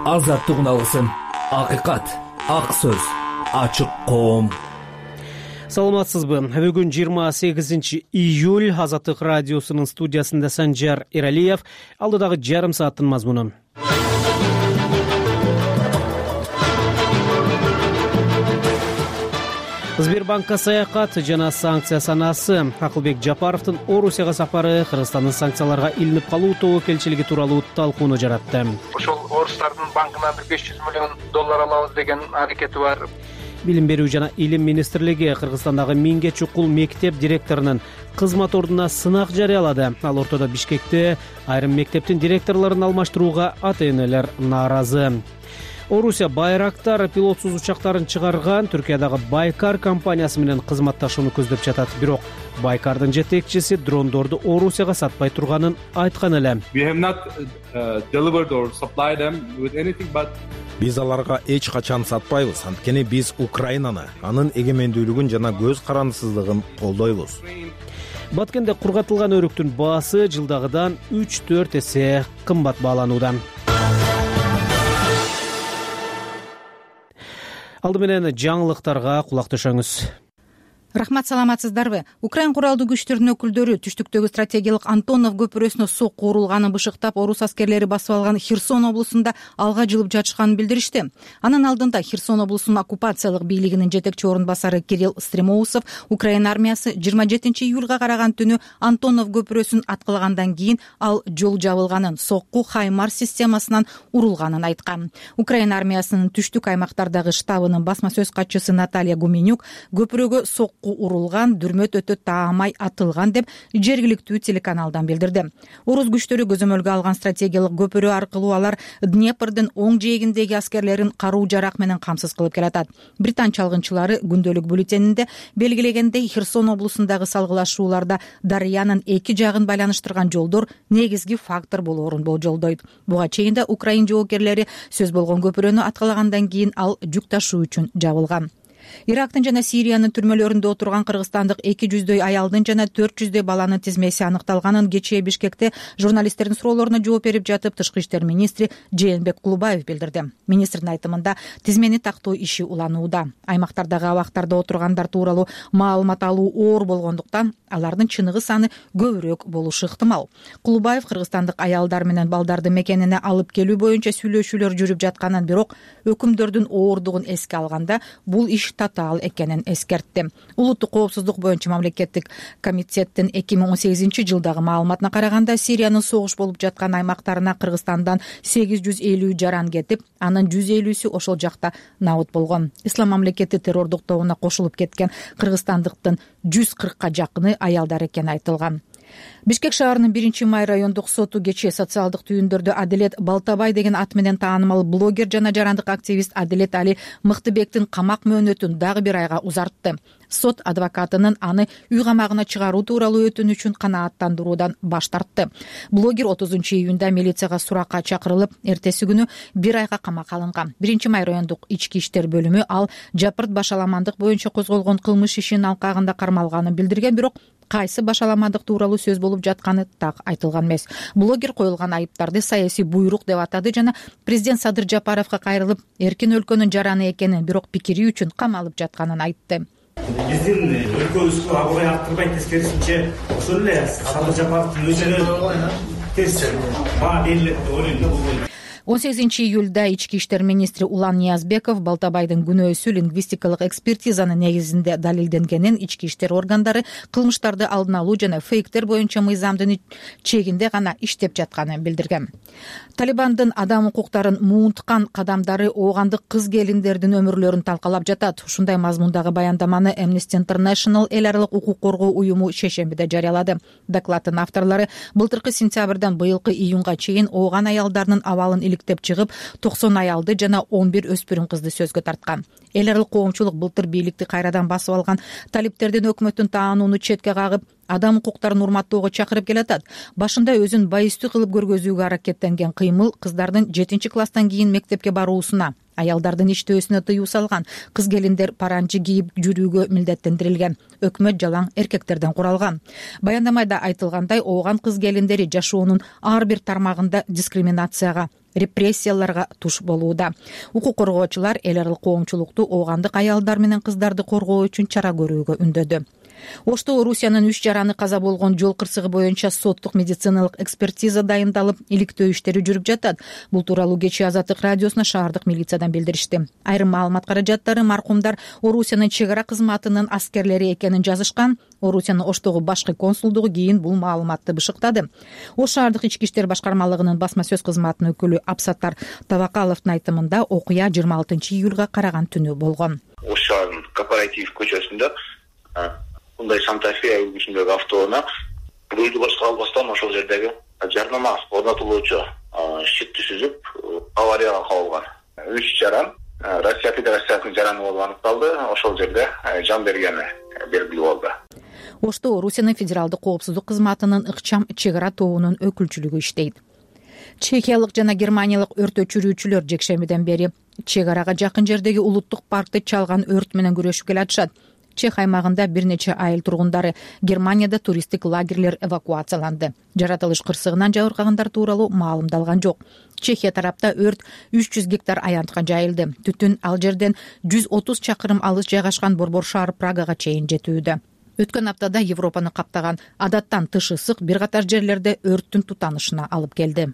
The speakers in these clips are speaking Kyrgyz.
азаттыгын алсын. Акыйкат, ак сөз, ачык коом. Саламатсызбы? Бүгүн 28 июль. Азаттык радиосунун студиясында Санжар Эралиев. Алдыдагы жарым сааттын мазмуну. Сбербанкка саякат жана санкция санасы. Акылбек Жапаровдун Орусияга сапары Кыргызстандын санкцияларга илинип калуу тобокелчилиги тууралуу талкууну жаратты. Ошол орустардын банкынан $500 миллион алабыз деген аракети бар. Билим берүү жана илим министрлиги Кыргызстандагы 1000ге чукул мектеп директорунун кызмат ордуна сынак жарыялады. Ал ортодо Бишкекте айрым мектептин директорлорун алмаштырууга ата-энелер нааразы. Орусия Байрактар пилотсуз учактарын чыгарган. Түркиядагы Байкар компаниясы менен кызматташууну көздөп жатат. Бирок Байкардын жетекчиси дрондорду Орусияга сатпай турганын айткан эле. Биз аларга эч качан сатпайбыз. Анткени биз Украинаны, анын эгемендүүлүгүн жана көз карандысыздыгын колдойбуз. Баткенде кургатылган өрүктүн баасы жылдагыдан 3-4 эсе кымбат бааланууда. Алды менен жаңылыктарга кулак төшөңүз. Рахмат, саламатсыздарбы? Украин куралдуу күчтөрүнүн өкүлдөрү түштүктөгү стратегиялык Антонов көпүрөсүнө сокку урулганын бышыктап, орус аскерлери басып алган Херсон облусунда алга жылып жатышканын билдиришти. Анын алдында Херсон облусунун оккупациялык бийлигинин жетекчи орун басары Кирилл Стремоусов Украин армиясы 27 июлга караган түнү Антонов көпүрөсүн аткылагандан кийин ал жол жабылганын, сокку Хаймарс системасынан урулганын айткан. Украин армиясынын түштүк аймактардагы штабынын басма сөз катчысы Наталья Гуменюк көпүрөгө сокку урулган, дүрмөт өтө таамай атылган деп жергиликтүү телеканалдан билдирди. Орус күчтөрү көзөмөлгө алган стратегиялык көпүрө аркылуу алар Днепрдин оң жээгиндеги аскерлерин каруу жарак менен камсыз кылып келатат. Британ чалгынчылары күндөлүк бюллетенинде белгилегендей Херсон облусундагы салгылашууларда Дарыянын эки жагын байланыштырган жолдор негизги фактор болоорун болжолдойт. Буга чейин да Украин жоокерлери сөз болгон көпүрөнү аткылагандан кийин ал жүк ташуу үчүн жабылган. Ирактын жана Сириянын түрмөлөрүндө отурган кыргызстандык 200 аялдын жана 400 баланын тизмеси аныкталганын кечээ Бишкекте журналисттердин суроолоруна жооп берип жатып Тышкы иштер министри Жээнбек Кулубаев билдирди. Министрдин айтымында тизмени тактоо иши уланууда. Аймактардагы абактарда отургандар тууралуу маалымат алуу оор болгондуктан алардын чыныгы саны көбүрөөк болушу ыктымал. Кулубаев кыргызстандык аялдар менен балдарды мекенине алып келүү боюнча сүйлөшүүлөр жүрүп жатканын, бирок өкүмдөрдүн ооругун эске алганда бул иш татаал экенин эскертти. Улуттук коопсуздук боюнча мамлекеттик комитеттин 2018 жылдагы маалыматына караганда Сириянын согуш болуп жаткан аймактарына Кыргызстандан 850 жаран кетип, анын 150сү ошол жакта набыт болгон. Ислам мамлекети террордук тобуна кошулуп кеткен кыргызстандыктын 140ка жакыны аялдар экени айтылган. Бишкек шаарынын 1-май райондук соту кечээ социалдык түйүндөрдө Адилет Балтабай деген ат менен таанымал блогер жана жарандык активист Адилет Али Мыктыбектин камак мөөнөтүн дагы бир айга узартты. Сот адвокатынын аны үй камагына чыгаруу тууралуу өтүнүчүн канааттандыруудан баш тартты. Блогер 30 июнда милицияга суракка чакырылып, эртеси күнү бир айга камакка алынган. 1-май райондук ички иштер бөлүмү ал Жапырт башаламандык боюнча козголгон кылмыш ишинин алкагында кармалганын билдирген, бирок кайсы башаламандык тууралуу сөз болуп жатканы так айтылган эмес. Блогер коюлган айыптарды саясий буйрук деп атады жана президент Садыр Жапаровго кайрылып, эркин өлкөнүн жараны экенин, бирок пикири үчүн камалып жатканын айтты. Биздин өлкөбүзгө абагай арттырбай, тескерисинче ошол эле Садыр Жапаровдун өзүнө тез баа берилет деп ойлойм да бул. 18 июлда ички иштер министри Улан Ниязбеков Балтабайдын күнөөсү лингвистикалык экспертизанын негизинде далилденгенин, ички иштер органдары кылмыштарды алдын алуу жана фейктер боюнча мыйзамдын чегинде гана иштеп жатканын билдирген. Талибандын адам укуктарын муунткан кадамдары оогандык кыз келиндердин өмүрлөрүн талкалап жатат. Ушундай мазмундагы баяндаманы Amnesty International эл аралык укук коргоо уюму шейшембиде жарыялады. Докладдын авторлору былтыркы сентябрдан быйылкы июнга чейин ооган аялдардын абалын иликтеп чыгып, 90 аялды жана 11 өспүрүм кызды сөзгө тарткан. Эл аралык коомчулук былтыр бийликти кайрадан басып алган талиптердин өкмөттүн таанууну четке кагып, адам укуктарын урматтоого чакырып келатат. Башында өзүн байыстуу кылып көргөзүүгө аракеттенген кыймыл кыздардын 7-класстан кийин мектепке баруусуна, аялдардын иштөөсүнө тыюу салган. Кыз келиндер паранжы кийип жүрүүгө милдеттендирилген. Өкмөт жалаң эркектерден куралган. Баяндамада айтылгандай, ооган кыз келиндери жашоонун ар бир тармагында дискриминацияга, репрессияларга туш болууда. Укук коргоочулар эл аралык коомчулукту оогандык аялдар менен кыздарды коргоо үчүн чара көрүүгө үндөдү. Ошто Орусиянын 3 жараны каза болгон жол кырсыгы боюнча соттук медициналык экспертиза дайындалып, иликтөө иштери жүрүп жатат. Бул тууралуу кечээ Азаттык радиосуна шаардык милициядан билдиришти. Айрым маалымат каражаттары маркумдар Орусиянын чек ара кызматынын аскерлери экенин жазышкан. Орусиянын Оштогу башкы консулдугу кийин бул маалыматты бышыктады. Ош шаардык ички иштер башкармалыгынын басма сөз кызматынын өкүлү Абсаттар Табакаловдун айтымында окуя 26-июлга караган түнү болгон. Ош шаарынын Корпоратив көчөсүндө мындай Санта-Фе үлгүсүндөгү автоунаа рулду башка албастан ошол жердеги жарнама орнотулуучу щитти сүзүп аварияга кабылган. 3 жаран Россия Федерациясынын жараны болуп аныкталды. Ошол жерде жан бергени белгилүү болду. Ошто Орусиянын федералдык коопсуздук кызматынын ыкчам чек ара тобунун өкүлчүлүгү иштейт. Чехиялык жана германиялык өрт өчүрүүчүлөр жекшембиден бери чек арага жакын жердеги улуттук паркты чалган өрт менен күрөшүп келатышат. Чех аймагында бир нече айыл тургундары Германияда туристтик лагерлер эвакуацияланды. Жаратылыш кырсыгынан жабыркагандар тууралуу маалымдалган жок. Чехия тарапта өрт 300 гектар аянтка жайылды. Түтүн ал жерден 130 чакырым алыс жайгашкан борбор шаар Прагага чейин жетүүдө. Өткөн аптада Европаны каптаган адаттан тыш ысык бир катар жерлерде өрттүн тутанышына алып келди.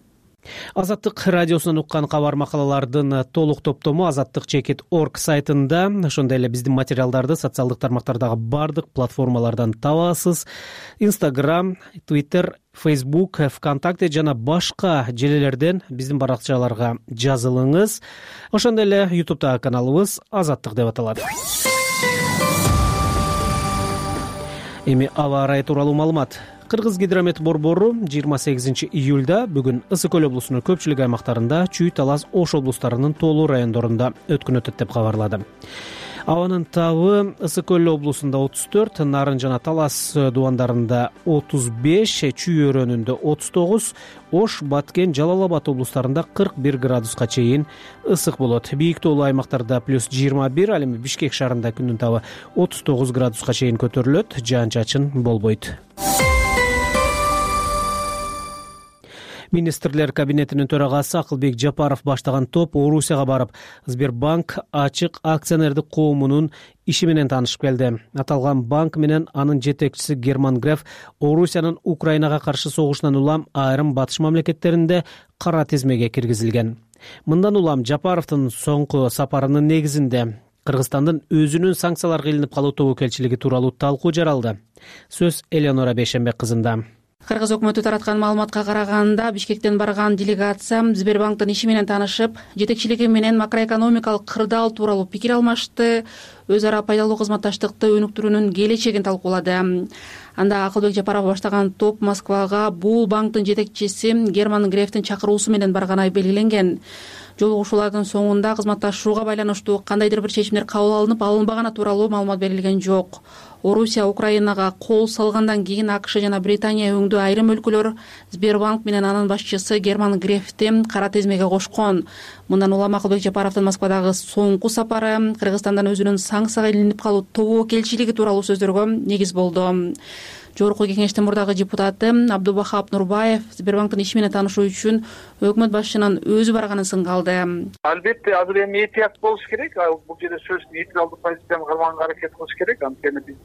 Азаттык радиосунан уккан кабар макалалардын толук топтому azattik.org сайтында, ошондой эле биздин материалдарды социалдык тармактардагы бардык платформалардан табасыз. Instagram, Twitter, Facebook, ВКонтакте жана башка желелерден биздин баракчаларга жазылыңыз. Ошондой эле YouTube'дагы каналыбыз Азаттык деп аталат. Эми аба ырайы тууралуу маалымат. Кыргыз гидромет борбору 28-июлда бүгүн Ысык Көл облусунун көпчүлүк аймактарында, Чүй, Талас, Ош облустарынын тоолуу райондорунда өткөн өтөт деп кабарлады. Абанын табы Ысык Көл облусунда 34, Нарын жана Талас дубандарында 35, Чүй өрөөнүндө 39, Ош, Баткен, Жалал Абад облустарында 41 градуска чейин ысык болот. Бийик тоолуу аймактарда +21, ал эми Бишкек шаарында күндүн табы 39 градуска чейин көтөрүлөт, жаан-чачын болбойт. Министрлер кабинетинин төрагасы Акылбек Жапаров баштаган топ Орусияга барып, Сбербанк ачык акционердик коомунун иши менен таанышып келди. Аталган банк менен анын жетекчиси Герман Греф Орусиянын Украинага каршы согушунан улам айрым батыш мамлекеттеринде кара тизмеге киргизилген. Мындан улам Жапаровдун соңку сапарынын негизинде Кыргызстандын өзүнүн санкцияларга илинип калуу тобокелчилиги тууралуу талкуу жаралды. Сөз Элеонора Бейшенбек кызында. Кыргыз өкмөтү тараткан маалыматка караганда, Бишкектен барган делегация Сбербанктын иши менен таанышып, жетекчилиги менен макроэкономикалык кырдаал тууралуу пикир алмашты, өз ара пайдалуу кызматташтыкты өнүктүрүүнүн келечегин талкуулады. Анда Акылбек Жапаров баштаган топ Москвага бул банктын жетекчиси Герман Грефтин чакыруусу менен барганы белгиленген. Жолугушуулардын соңунда кызматташууга байланыштуу кандайдыр бир чечимдер кабыл алынып, алынбаганы тууралуу маалымат берилген жок. Орусия Украинага кол салгандан кийин АКШ жана Британия өңдүү айрым өлкөлөр Сбербанк менен анын башчысы Герман Грефти кара тизмеге кошкон. Мындан улам Акылбек Жапаровдун Москвадагы соңку сапары Кыргызстандан өзүнүн санкцияга илинип калуу тобокелчилиги тууралуу сөздөргө негиз болду. Жогорку кеңештин мурдагы депутаты Абдубахап Нурбаев Сбербанктын иши менен таанышуу үчүн өкмөт башчынын өзү барганын сынгалды. Албетте азыр эми этият болуш керек. Бул жерде сөз нейтралдык позицияны кармаганга аракет кылыш керек. Анткени биз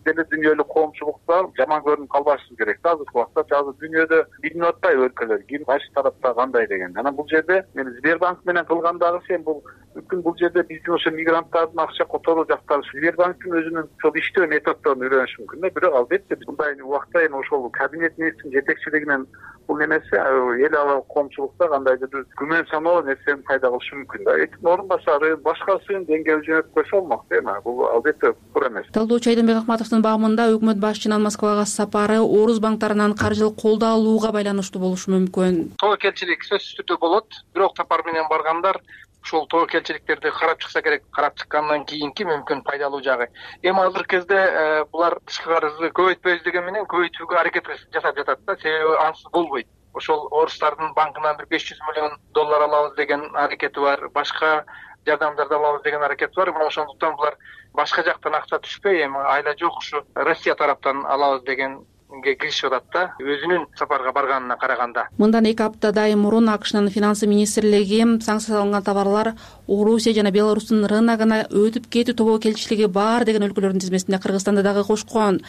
деле дүйнөлүк коомчулукта жаман көрүнүп калбашыбыз керек. Азыркы убакта азыр дүйнөдө билинип атпайбы өлкөлөр ким кайсы тарапта кандай деген. Анан бул жерде мен Сбербанк менен кылгандагы сен бул мүмкүн бул жерде биздин ошо мигранттардын акча которуу жактары Сбербанктын өзүнүн ошол иштөө методдорун үйрөнүш мүмкүн. Бирок албетте мындай убакта эми ошол кабинет министринин жетекчилигинен бул нерсе эл аралык коомчулукта кандайдыр бир күмөн саноо нерсени пайда кылышы мүмкүн да. Этип орун басары башкасын деңгээлге жөнөтүп койсо болмок эми. Бул албетте туура эмес. Талдоочу Айдынбек Акматовдун багымында өкмөт башчынын Москвага сапары орус банктарынан каржылык колдоо алууга байланыштуу болушу мүмкүн. Тобокелчилик сөзсүз түрдө болот, бирок сапар менен баргандар ушул тобокелчиликтерди карап чыкса керек. Карап чыккандан кийинки мүмкүн пайдалуу жагы. Эми азыркы кезде булар тышкы карызды көбөйтпөйбүз деген менен көбөйтүүгө аракет жасап жатат да. Себеби ансыз болбойт. Ошол орустардын банкынан бир $500 миллион алабыз деген аракети бар. Башка жардамдарды алабыз деген аракети бар. Ошондуктан булар башка жактан акча түшпөй, эми айла жок ушу Россия тараптан алабыз деген киришип атат да, өзүнүн сапарга барганына караганда. Мындан 2 аптадай мурун АКШнын финансы министрлиги санкцияланган товарлар Орусия жана Беларустун рыногуна өтүп кетүү тобокелчилиги бар деген өлкөлөрдүн тизмесине Кыргызстанды дагы кошкон.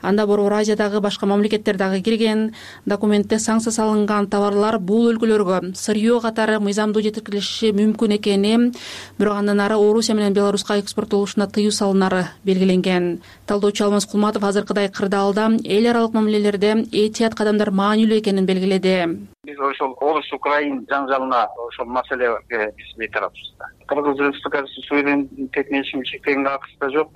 Анда Борбор Азиядагы башка мамлекеттер дагы кирген. Документте санкция салынган товарлар бул өлкөлөргө сырьё катары мыйзамдуу жеткирилиши мүмкүн экени, бирок андан ары Орусия менен Беларуска экспорттолушуна тыюу салынары белгиленген. Талдоочу Алмаз Кулматов азыркыдай кырдаалда эл аралык мамилелерде этият кадамдар маанилүү экенин белгиледи. Биз ошол Орус-Украин жаңжалына ошол маселеге биз бейтараппыз. Кыргыз Республикасы суверенитетине чектегенге акысы да жок.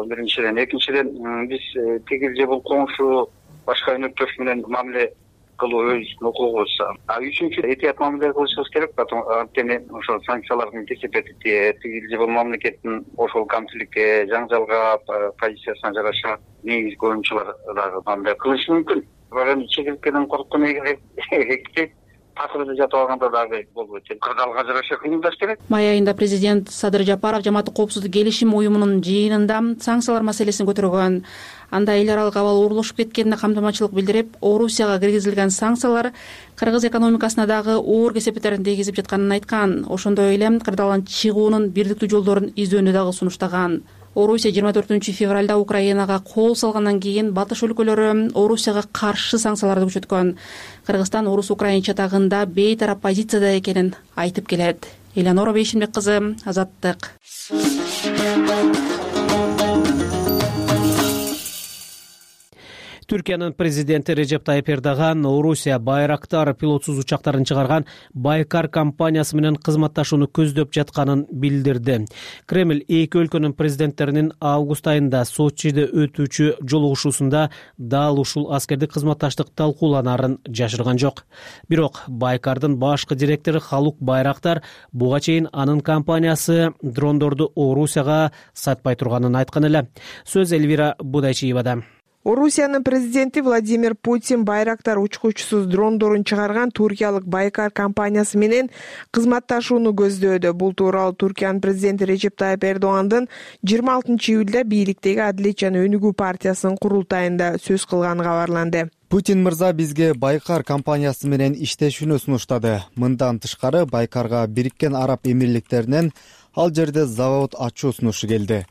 Биринчиден, экинчиден биз тигил же бул коңшу башка өнөктөш менен мамиле кылуу өзүбүздүн укугубуз. Үчүнчү этият мамиле кылышыбыз керек. Анткени ошол санкциялардын кесепети тигил же бул мамлекеттин ошол камчылыкка, жаңжалга позициясына жараша негизги оюнчулар дагы мамиле кылышы мүмкүн. Бирок чегилткеден корккон эки такырда жатып алганда дагы болбойт. Кырдаалга жараша кыймылдаш керек. Май айында президент Садыр Жапаров Жамааттык коопсуздук келишим уюмунун жыйынында санкциялар маселесин көтөргөн. Анда эл аралык абал оорлошуп кеткенине камтамачылык билдирип, Орусияга киргизилген санкциялар Кыргыз экономикасына дагы оор кесепеттерин тийгизип жатканын айткан. Ошондой эле кырдаалдан чыгуунун бирдиктүү жолдорун издөөнү дагы сунуштаган. Орусия 24 февралда Украинага кол салгандан кийин батыш өлкөлөрү Орусияга каршы санкцияларды күчөткөн. Кыргызстан Орус-Украин чатагында бейтарап позицияда экенин айтып келет. Элянора Бейшимбек кызы, Азаттык. Түркиянын президенти Режеп Тайып Эрдоган Орусия Байрактар пилотсуз учактарын чыгарган Байкар компаниясы менен кызматташууну көздөп жатканын билдирди. Кремль эки өлкөнүн президенттеринин август айында Сочиде өтүүчү жолугушуусунда дал ушул аскердик кызматташтык талкууланарын жашырган жок. Бирок Байкардын башкы директору Халук Байрактар буга чейин анын компаниясы дрондорду Орусияга сатпай турганын айткан эле. Сөз Эльвира Будайчиевада. Орусиянын президенти Владимир Путин Байрактар учкучусуз дрондорун чыгарган туркиялык Байкар компаниясы менен кызматташууну көздөөдө. Бул тууралуу Түркиянын президенти Режеп Тайып Эрдогандын 26-июлда бийликтеги Адилет жана Өнүгүү партиясынын курултайында сөз кылганы кабарланды. Путин мырза бизге Байкар компаниясы менен иштешүүнү сунуштады. Мындан тышкары Байкарга Бириккен Араб Эмирликтеринен ал жерде завод ачуу сунушу келди.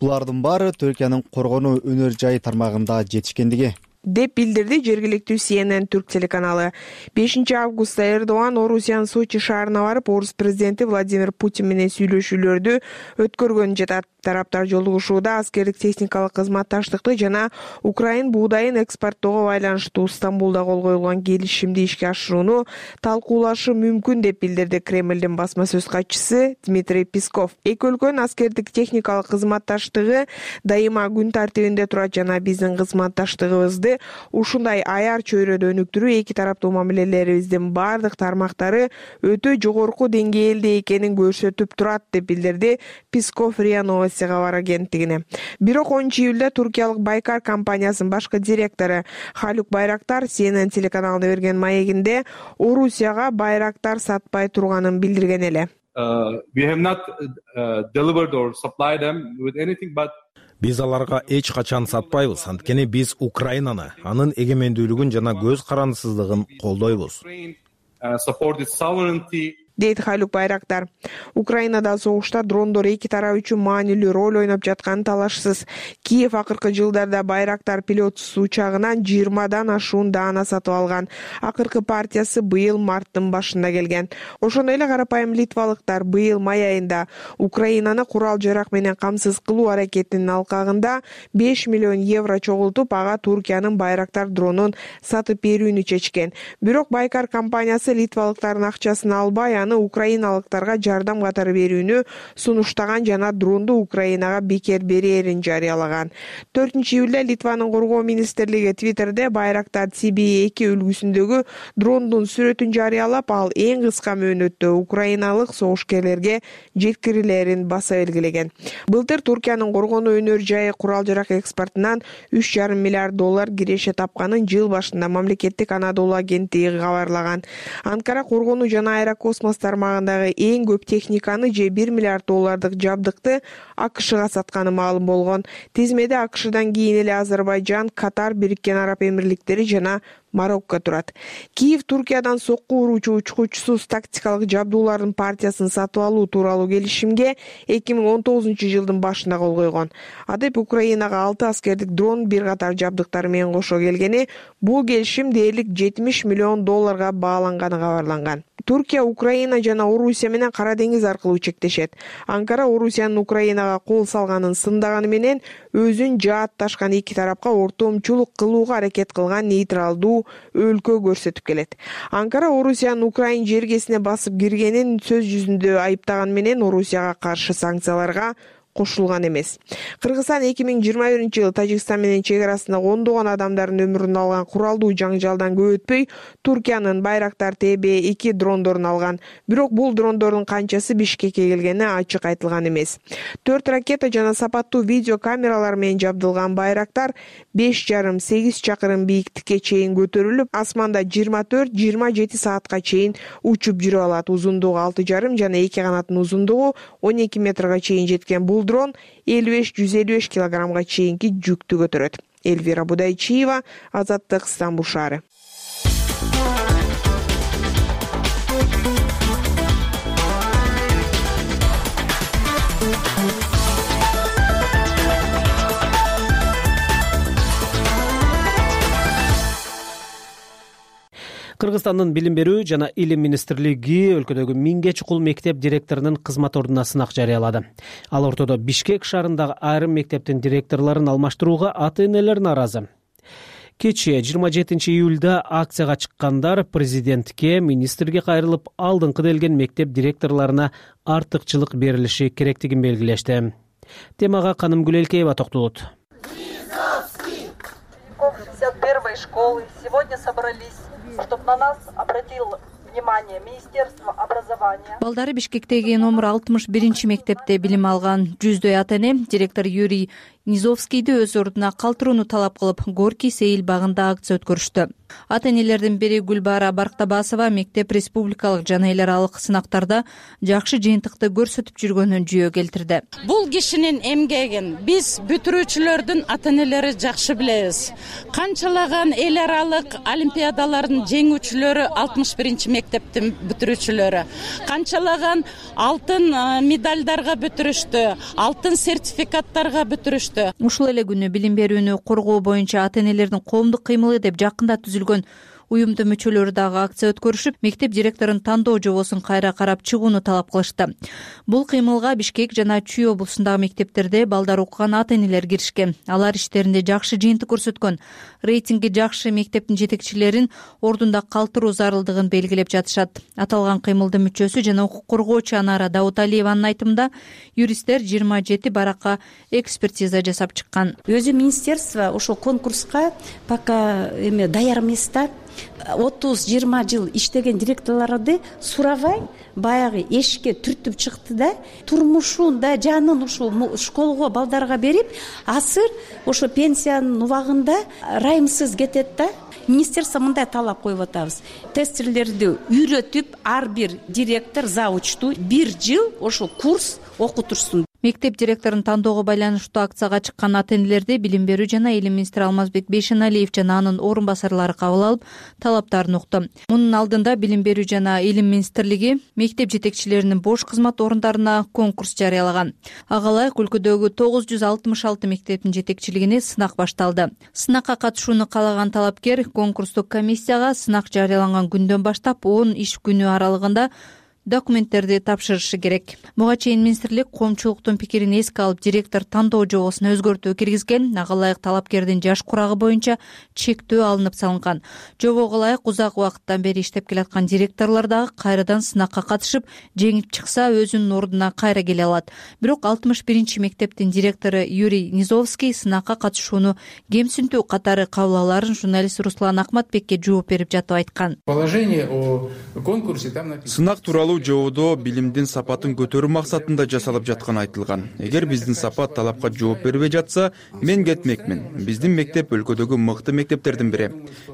Булардын баары Түркиянын коргонуу өнөр жайы тармагында жетишкендиги деп билдирди жергиликтүү CNN түрк телеканалы. 5 августта Эрдоган Орусиянын Сочи шаарына барып, Орус президенти Владимир Путин менен сүйлөшүүлөрдү өткөргөнүн жатат. Тараптар жолугушууда аскердик техникалык кызматташтыкты жана Украин буудайын экспорттоого байланыштуу Стамбулда кол коюлган келишимди ишке ашырууну талкуулашы мүмкүн деп билдирди Кремлдин басма сөз катчысы Дмитрий Песков. Эки өлкөнүн аскердик техникалык кызматташтыгы дайыма күн тартибинде турат жана биздин кызматташтыгыбызды ушундай аяр чөйрөдө өнүктүрүү эки тараптуу мамилелерибиздин бардык тармактары өтө жогорку деңгээлде экенин көрсөтүп турат деп билдирди Песков РИА Новости кабар агенттигине. Бирок 10-июлда туркиялык Байкар компаниясынын башкы директору Халук Байрактар CNN телеканалына берген маегинде Орусияга Байрактар сатпай турганын билдирген эле. Биз аларга эч качан сатпайбыз, анткени биз Украинаны, анын эгемендүүлүгүн жана көз карандысыздыгын колдойбуз. Дейт Халук Байрактар. Украинада согушта дрондор эки тарап үчүн маанилүү роль ойноп жатканы талашсыз. Киев акыркы жылдарда Байрактар пилотсуз учагынан 20дан ашуун даана сатып алган. Акыркы партиясы быйыл марттын башында келген. Ошондой эле карапайым литвалыктар быйыл май айында Украинаны курал жарак менен камсыз кылуу аракетинин алкагында 5 миллион евро чогултуп, ага Туркиянын Байрактар дронун сатып берүүнү чечкен. Бирок Байкар компаниясы литвалыктардын акчасын албай, аны украиналыктарга жардам катары берүүнү сунуштаган жана дронду Украинага бекер берерин жарыялаган. 4-июлда Литванын коргоо министрлиги Твиттерде Байрактар TB2 үлгүсүндөгү дрондун сүрөтүн жарыялап, ал эң кыска мөөнөттө украиналык согушкерлерге жеткирилерин баса белгилеген. Былтыр Туркиянын коргонуу өнөр жайы курал жарак экспортунан $3,5 миллиард киреше тапканын жыл башында мамлекеттик Анадолу агенттиги кабарлаган. Анкара коргонуу жана аэрокосмос тармагындагы эң көп техниканы же $1 миллиард жабдыкты АКШга сатканы маалым болгон. Тизмеде АКШдан кийин эле Азербайжан, Катар, Бириккен Араб Эмирликтери жана Марокко турат. Киев Туркиядан сокку уруучу учкучсуз тактикалык жабдуулардын партиясын сатып алуу тууралуу келишимге 2019-жылдын башында кол койгон. Адеп Украинага 6 аскердик дрон, бир катар жабдыктар менен кошо келгени, бул келишим дээрлик $70 миллион бааланганы кабарланган. Туркия, Украина жана Орусия менен Кара деңиз аркылуу чектешет. Анкара Орусиянын Украинага кол салганын сындаганы менен өзүн жаатташкан эки тарапка ортомчулук кылууга аракет кылган нейтралдуу өлкө көрсөтүп келет. Анкара Орусиянын Украин жергесине басып киргенин сөз жүзүндө айыптаган менен Орусияга каршы санкцияларга кошулган эмес. Кыргызстан 2021-жылы Тажикстан менен чек арасында ондогон адамдардын өмүрүн алган куралдуу жаңжалдан көп өтпөй Туркиянын Байрактар TB2 дрондорун алган. Бирок бул дрондордун канчасы Бишкекке келгени ачык айтылган эмес. 4 ракета жана сапаттуу видео камералар менен жабдылган Байрактар 5,5-8 чакырым бийиктикке чейин көтөрүлүп, асманда 24-27 саатка чейин учуп жүрө алат. Узундугу 6,5 жана эки канаттын узундугу 12 метрге чейин жеткен бул дрон 55-155 килограммга чейинки жүктү көтөрөт. Эльвира Будайчиева, Азаттык, Стамбул шаары. Кыргызстандын билим берүү жана илим министрлиги өлкөдөгү 1000ге чукул мектеп директорунун кызмат ордуна сынак жарыялады. Ал ортодо Бишкек шаарындагы айрым мектептин директорлорун алмаштырууга ата-энелер нааразы. Кечээ 27 июлда акцияга чыккандар президентке, министрге кайрылып, алдыңкы делген мектеп директорлоруна артыкчылык берилиши керектигин белгилешти. Темага Каным Гүлелкеева токтолот. 61-й школы сегодня собрались, чтобы на нас обратил внимание Министерство образования. Балдары Бишкектеги номер 61 мектепте билим алган 100дөй ата-эне директор Юрий Низовскийди өз ордуна калтырууну талап кылып, Горький Сейил багында акция өткөрүштү. Ата-энелердин бири Гүлбара Барктабасова мектеп республикалык жана эл аралык сынактарда жакшы жыйынтыкты көрсөтүп жүргөнүн жүйө келтирди. Бул кишинин эмгегин биз бүтүрүүчүлөрдүн ата-энелери жакшы билебиз. Канчалаган эл аралык олимпиадалардын жеңүүчүлөрү 61 мектептин бүтүрүүчүлөрү. Канчалаган алтын медальдарга бүтүрүштү, алтын сертификаттарга бүтүрүштү. Ушул эле күнү билим берүүнү коргоо боюнча ата-энелердин коомдук кыймылы деп жакында түзүлгөн уюмдун мүчөлөрү дагы акция өткөрүшүп, мектеп директорун тандоо жобосун кайра карап чыгууну талап кылышты. Бул кыймылга Бишкек жана Чүй облусундагы мектептерде балдар окуган ата-энелер киришкен. Алар иштеринде жакшы жыйынтык көрсөткөн. Рейтинги жакшы мектептин жетекчилерин ордунда калтыруу зарылдыгын белгилеп жатышат. Аталган кыймылдын мүчөсү жана укук коргоочу Анара Дауталиеванын айтымында, юристтер 27 баракка экспертиза жасап чыккан. Өзү министерство ошол конкурска пока даяр эмес да. 30-20 жыл иштеген директорлорду сурабай баягы эшикке түртүп чыкты да, турмушун да жанын ушул школго балдарга берип, азыр ошо пенсиянын убагында райымсыз кетет да. Министерство мындай талап коюп атабыз. Тестерлерди үйрөтүп, ар бир директор завучту 1 жыл ошо курс окутурсун. Мектеп директорун тандоого байланыштуу акцияга чыккан ата-энелерди билим берүү жана илим министри Алмазбек Бейшеналиев жана анын орун басарлары кабыл алып, талаптарын укту. Мунун алдында билим берүү жана илим министрлиги мектеп жетекчилеринин бош кызмат орундарына конкурс жарыялаган. Ага ылайык өлкөдөгү 966 мектептин жетекчилигине сынак башталды. Сынакка катышууну каалаган талапкер конкурстук комиссияга сынак жарыяланган күндөн баштап 10 иш күнү аралыгында документтерди тапшырышы керек. Буга чейин министрлик коомчулуктун пикирин эске алып, директор тандоо жобосуна өзгөртүү киргизген. Ага ылайык талапкердин жаш курагы боюнча чектөө алынып салынган. Жобого ылайык узак убакыттан бери иштеп келаткан директорлор дагы кайрадан сынакка катышып, жеңип чыкса өзүнүн ордуна кайра келе алат. Бирок 61 мектептин директору Юрий Низовский сынакка катышууну кемсинтүү катары кабыл аларын журналист Руслан Акматбекке жооп берип жатып айткан. Положение о конкурсе там написано. Сынак тууралуу жободо билимдин сапатын көтөрүү максатында жасалып жатканы айтылган. Эгер биздин сапат талапка жооп бербей жатса, мен кетмекмин. Биздин мектеп өлкөдөгү мыкты мектептердин бири.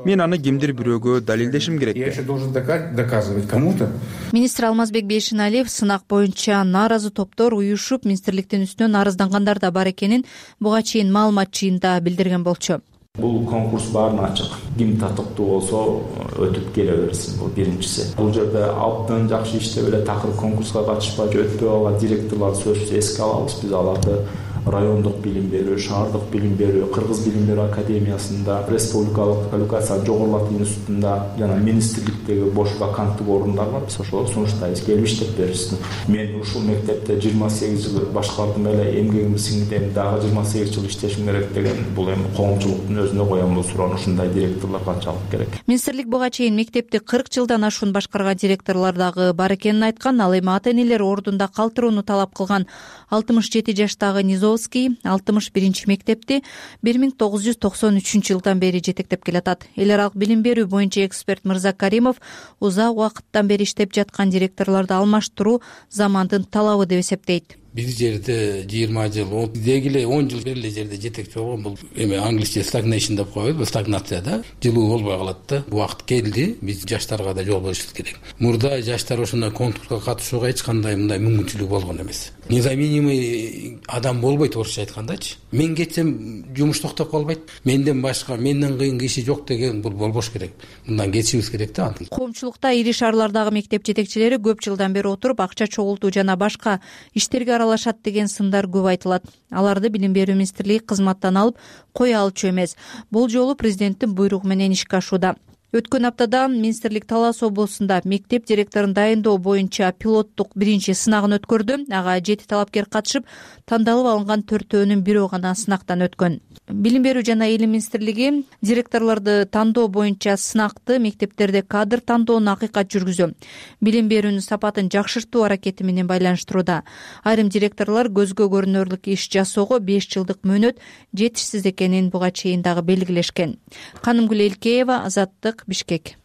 Мен аны кимдир бирөөгө далилдешим керек. Я еще должен доказывать кому-то. Министр Алмазбек Бейшеналиев сынак боюнча нааразы топтор уюшуп министрликтин үстүнөн арыздангандар да бар экенин буга чейин маалымат жыйында билдирген болчу. Бул конкурс баарына ачык. Ким татыктуу болсо өтүп келе берсин. Бул биринчиси. Бул жерде абдан жакшы иштеп эле такыр конкурска катышпай өтпөй алган директорлор сөзсүз эске алабыз. Биз аларды райондук билим берүү, шаардык билим берүү, Кыргыз билим берүү академиясында, республикалык квалификация жогорулатуу институтунда жана министрликтеги бош ваканттык орундар бар. Биз ошолорду сунуштайбыз, келип иштеп беришсин. Мен ушул мектепте 28 жыл башкардым эле, эмгегимди сиңдирдим, дагы 28 жыл иштешим керек деген бул эми коомчулуктун өзүнө коем бул суроону. Ушундай директорлор канчалык керек? Министрлик буга чейин мектепти 40 жылдан ашуун башкарган директорлор дагы бар экенин айткан. Ал эми ата-энелер ордунда калтырууну талап кылган 67 жаштагы Низовский 61 мектепти 1993 жылдан бери жетектеп келатат. Эл аралык билим берүү боюнча эксперт Мырза Каримов узак убакыттан бери иштеп жаткан директорлорду алмаштыруу замандын талабы деп эсептейт. Бир жерде 20 жыл, деги эле 10 жыл бери эле жерде жетекчи болгон бул эми англисче stagnation деп коебуз, бул стагнацияда жылуу болбой калат да. Убакыт келди, биз жаштарга да жол беришибиз керек. Мурда жаштар ошондой конкурска катышууга эч кандай мындай мүмкүнчүлүк болгон эмес. Незаменимый адам болбойт, орусча айткандачы. Мен кетсем жумуш токтоп калбайт. Менден башка, менден кыйын киши жок деген бул болбош керек. Мындан кетишибиз керек да. Коомчулукта ири шаарлардагы мектеп жетекчилери көп жылдан бери отуруп акча чогултуу жана башка иштерге аралашат деген сындар көп айтылат. Аларды билим берүү министрлиги кызматтан алып кое алчу эмес. Бул жолу президенттин буйругу менен ишке ашууда. Өткөн аптада министрлик Талас облусунда мектеп директорун дайындоо боюнча пилоттук биринчи сынагын өткөрдү. Ага 7 талапкер катышып, тандалып алынган 4-өөнүн бирөө гана сынактан өткөн. Билим берүү жана илим министрлиги директорлорду тандоо боюнча сынакты мектептерде кадр тандоону акыйкат жүргүзүү, билим берүүнүн сапатын жакшыртуу аракети менен байланыштырууда. Айрым директорлор көзгө көрүнөрлүк иш жасоого 5 жылдык мөөнөт жетишсиз экенин буга чейин дагы белгилешкен. Канымгүл Элкеева, Азаттык, Бишкек.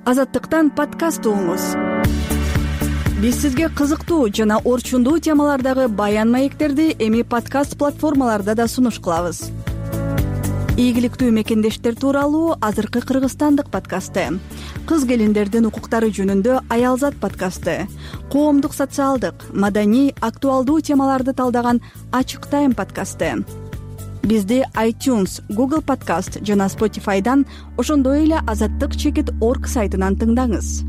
Азаттыктан подкаст угуңуз. Биз сизге кызыктуу жана орчундуу темалардагы баян маектерди эми подкаст платформаларда да сунуш кылабыз. Ийгиликтүү мекендештер тууралуу азыркы Кыргызстандык подкасты, кыз келиндердин укуктары жөнүндө Аялзат подкасты, коомдук социалдык, маданий, актуалдуу темаларды талдаган Ачык Тайм подкасты. Бизди iTunes, Google Podcast жана Spotify'дан, ошондой эле azattik.org сайтынан тыңдаңыз.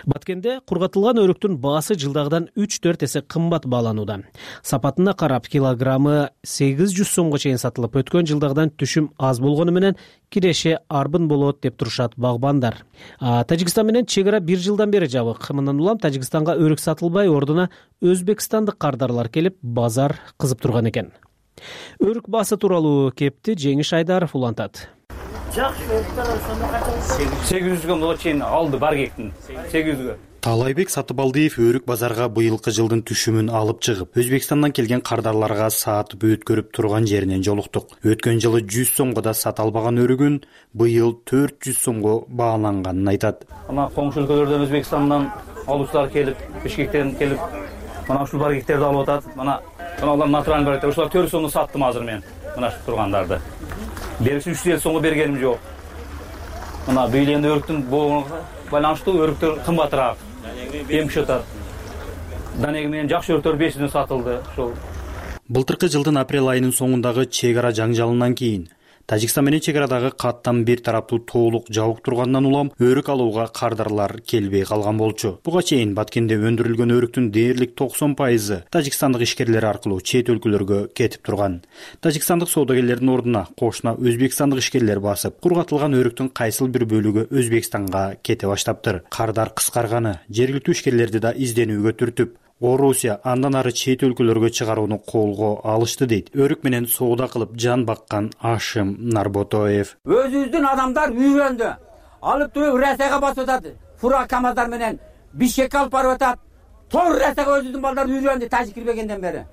Баткенде кургатылган өрүктүн баасы жылдагыдан 3-4 эсе кымбат бааланууда. Сапатына карап килограммы 800 сомго чейин сатылып, өткөн жылдагыдан түшүм аз болгону менен киреше арбын болот деп турушат багбандар. Тажикстан менен чек ара 1 жылдан бери жабык. Мындан улам Тажикстанга өрүк сатылбай, ордуна өзбекстандык кардарлар келип, базар кызып турган экен. Өрүк баасы тууралуу кепти Жеңиш Айдаров улантат. 800га чейин алды бар кектин 800га. Таалайбек Сатыбалдиев өрүк базарга быйылкы жылдын түшүмүн алып чыгып, Өзбекстандан келген кардарларга саатып өткөрүп турган жеринен жолуктук. Өткөн жылы 100 сомго да сата албаган өрүгүн быйыл 400 сомго бааланганын айтат. Ана коңшу өлкөлөрдөн Өзбекстандан алуучулар келип, Бишкектен келип, мына ушул бар кектерди алып атат. Мына алар натуралдуу бар. Ушулар 400 сомго саттым азыр мен. Мына шу тургандарды. Бериши 300 сомго бергеним жок. Мына быйыл энди өрүктүн боогуна байланыштуу өрүктөр кымбатыраак. Эмчи атат. Данеги менен жакшы өрүктөр 500дөн сатылды. Ошол. Былтыркы жылдын апрель айынын соңундагы чек ара жаңжалынан кийин Тажикстан менен чек арадагы каттан бир тараптуу толук жабык тургандан улам өрүк алууга кардарлар келбей калган болчу. Буга чейин Баткенде өндүрүлгөн өрүктүн дээрлик 90% тажикстандык ишкерлер аркылуу чет өлкөлөргө кетип турган. Тажикстандык соодагерлердин ордуна кошуна өзбекстандык ишкерлер басып, кургатылган өрүктүн кайсыл бир бөлүгү Өзбекстанга кете баштаптыр. Кардар кыскарганы жергиликтүү ишкерлерди да изденүүгө түртүп, Орусия андан ары чет өлкөлөргө чыгарууну колго алышты дейт. Өрүк менен соода кылып жан баккан Ашим Нарботоев. Өзүбүздүн адамдар үйрөндү. Алып туруп Россияга басып атат. Фура камаздар менен Бишкекке алып барып атат. Тор Россияга өзүбүздүн балдар үйрөндү Тажик кирбегенден бери.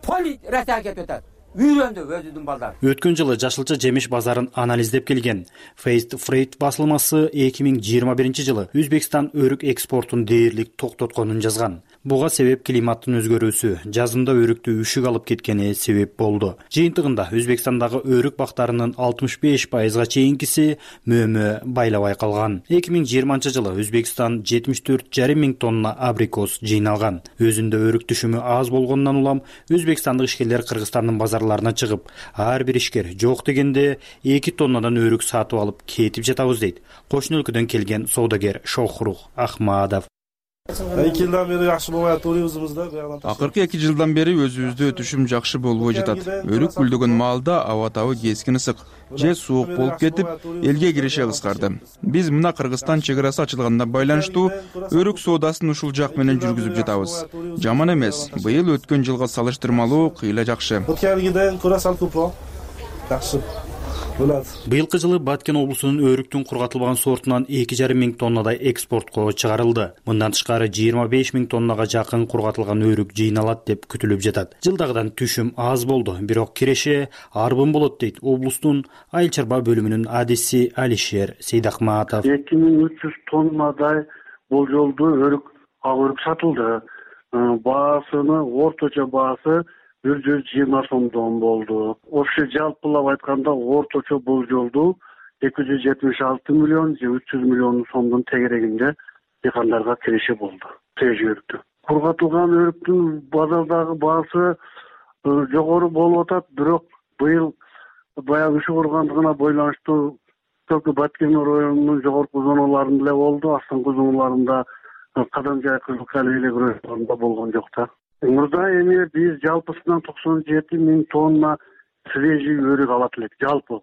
Поли Россияга кетип атат. үйрөндү өзүнүн балдары. Өткөн жылы жашылча жемиш базарын анализдеп келген Faced Freight басылмасы 2021 жылы Өзбекстан өрүк экспортун дээрлик токтотконун жазган. Буга себеп климаттын өзгөрүүсү, жазында өрүктү үшүк алып кеткени себеп болду. Жыйынтыгында Өзбекстандагы өрүк бактарынын 65%га чейинкиси мөмө байлабай калган. 2020 жылы Өзбекстан 74,5 миң тонна абрикос жыйналган. Өзүндө өрүк түшүмү аз болгондон улам Өзбекстандык ишкерлер Кыргызстандын базарларына чыгып, ар бир ишкер жок дегенде 2 тоннадан өрүк сатып алып кетип жатабыз дейт. Кошуна өлкөдөн келген соодагер Шохрух Ахмадов. 2 жылдан бери жакшы болбой атат өзүбүздө. Акыркы 2 жылдан бери өзүбүздө түшүм жакшы болбой жатат. Өрүк гүлдөгөн маалда аба табы кескин ысык, же суук болуп кетип, элге киреше кыскарды. Биз мына Кыргызстан чек арасы ачылганына байланыштуу өрүк соодасын ушул жак менен жүргүзүп жатабыз. Жаман эмес. Быйыл өткөн жылга салыштырмалуу кыйла жакшы. Өткөнгүдөн көрө сал көпүрөөк жакшы. Быйылкы жылы Баткен облусунун өрүктүн кургатылган сортунан 2,5 миң тоннадай экспортко чыгарылды. Мындан тышкары 25 миң тоннага жакын кургатылган өрүк жыйналат деп күтүлүп жатат. Жылдагыдан түшүм аз болду, бирок киреше арбын болот дейт облустун айыл чарба бөлүмүнүн адиси Алишер Сейдахматов. 2300 тоннадай болжолдуу өрүк сатылды. Баасыны орточо баасы 120 сомдон болду. Общий жалпылап айтканда орточо болжолду 276 миллион же 300 миллион сомдун тегерегинде дыйкандарга киреше болду. Өрүктү. Кургатылган өрүктүн базардагы баасы жогору болуп атат, бирок быйыл баягы үшүк ургандыгына байланыштуу только Баткен районунун жогорку зоналарында эле болду, астыңкы зоналарында Кадамжай Кызылкали эле районунда болгон жок да. Мурда эми биз жалпысынан 97 миң тонна свежий өрүк алат элек, жалпы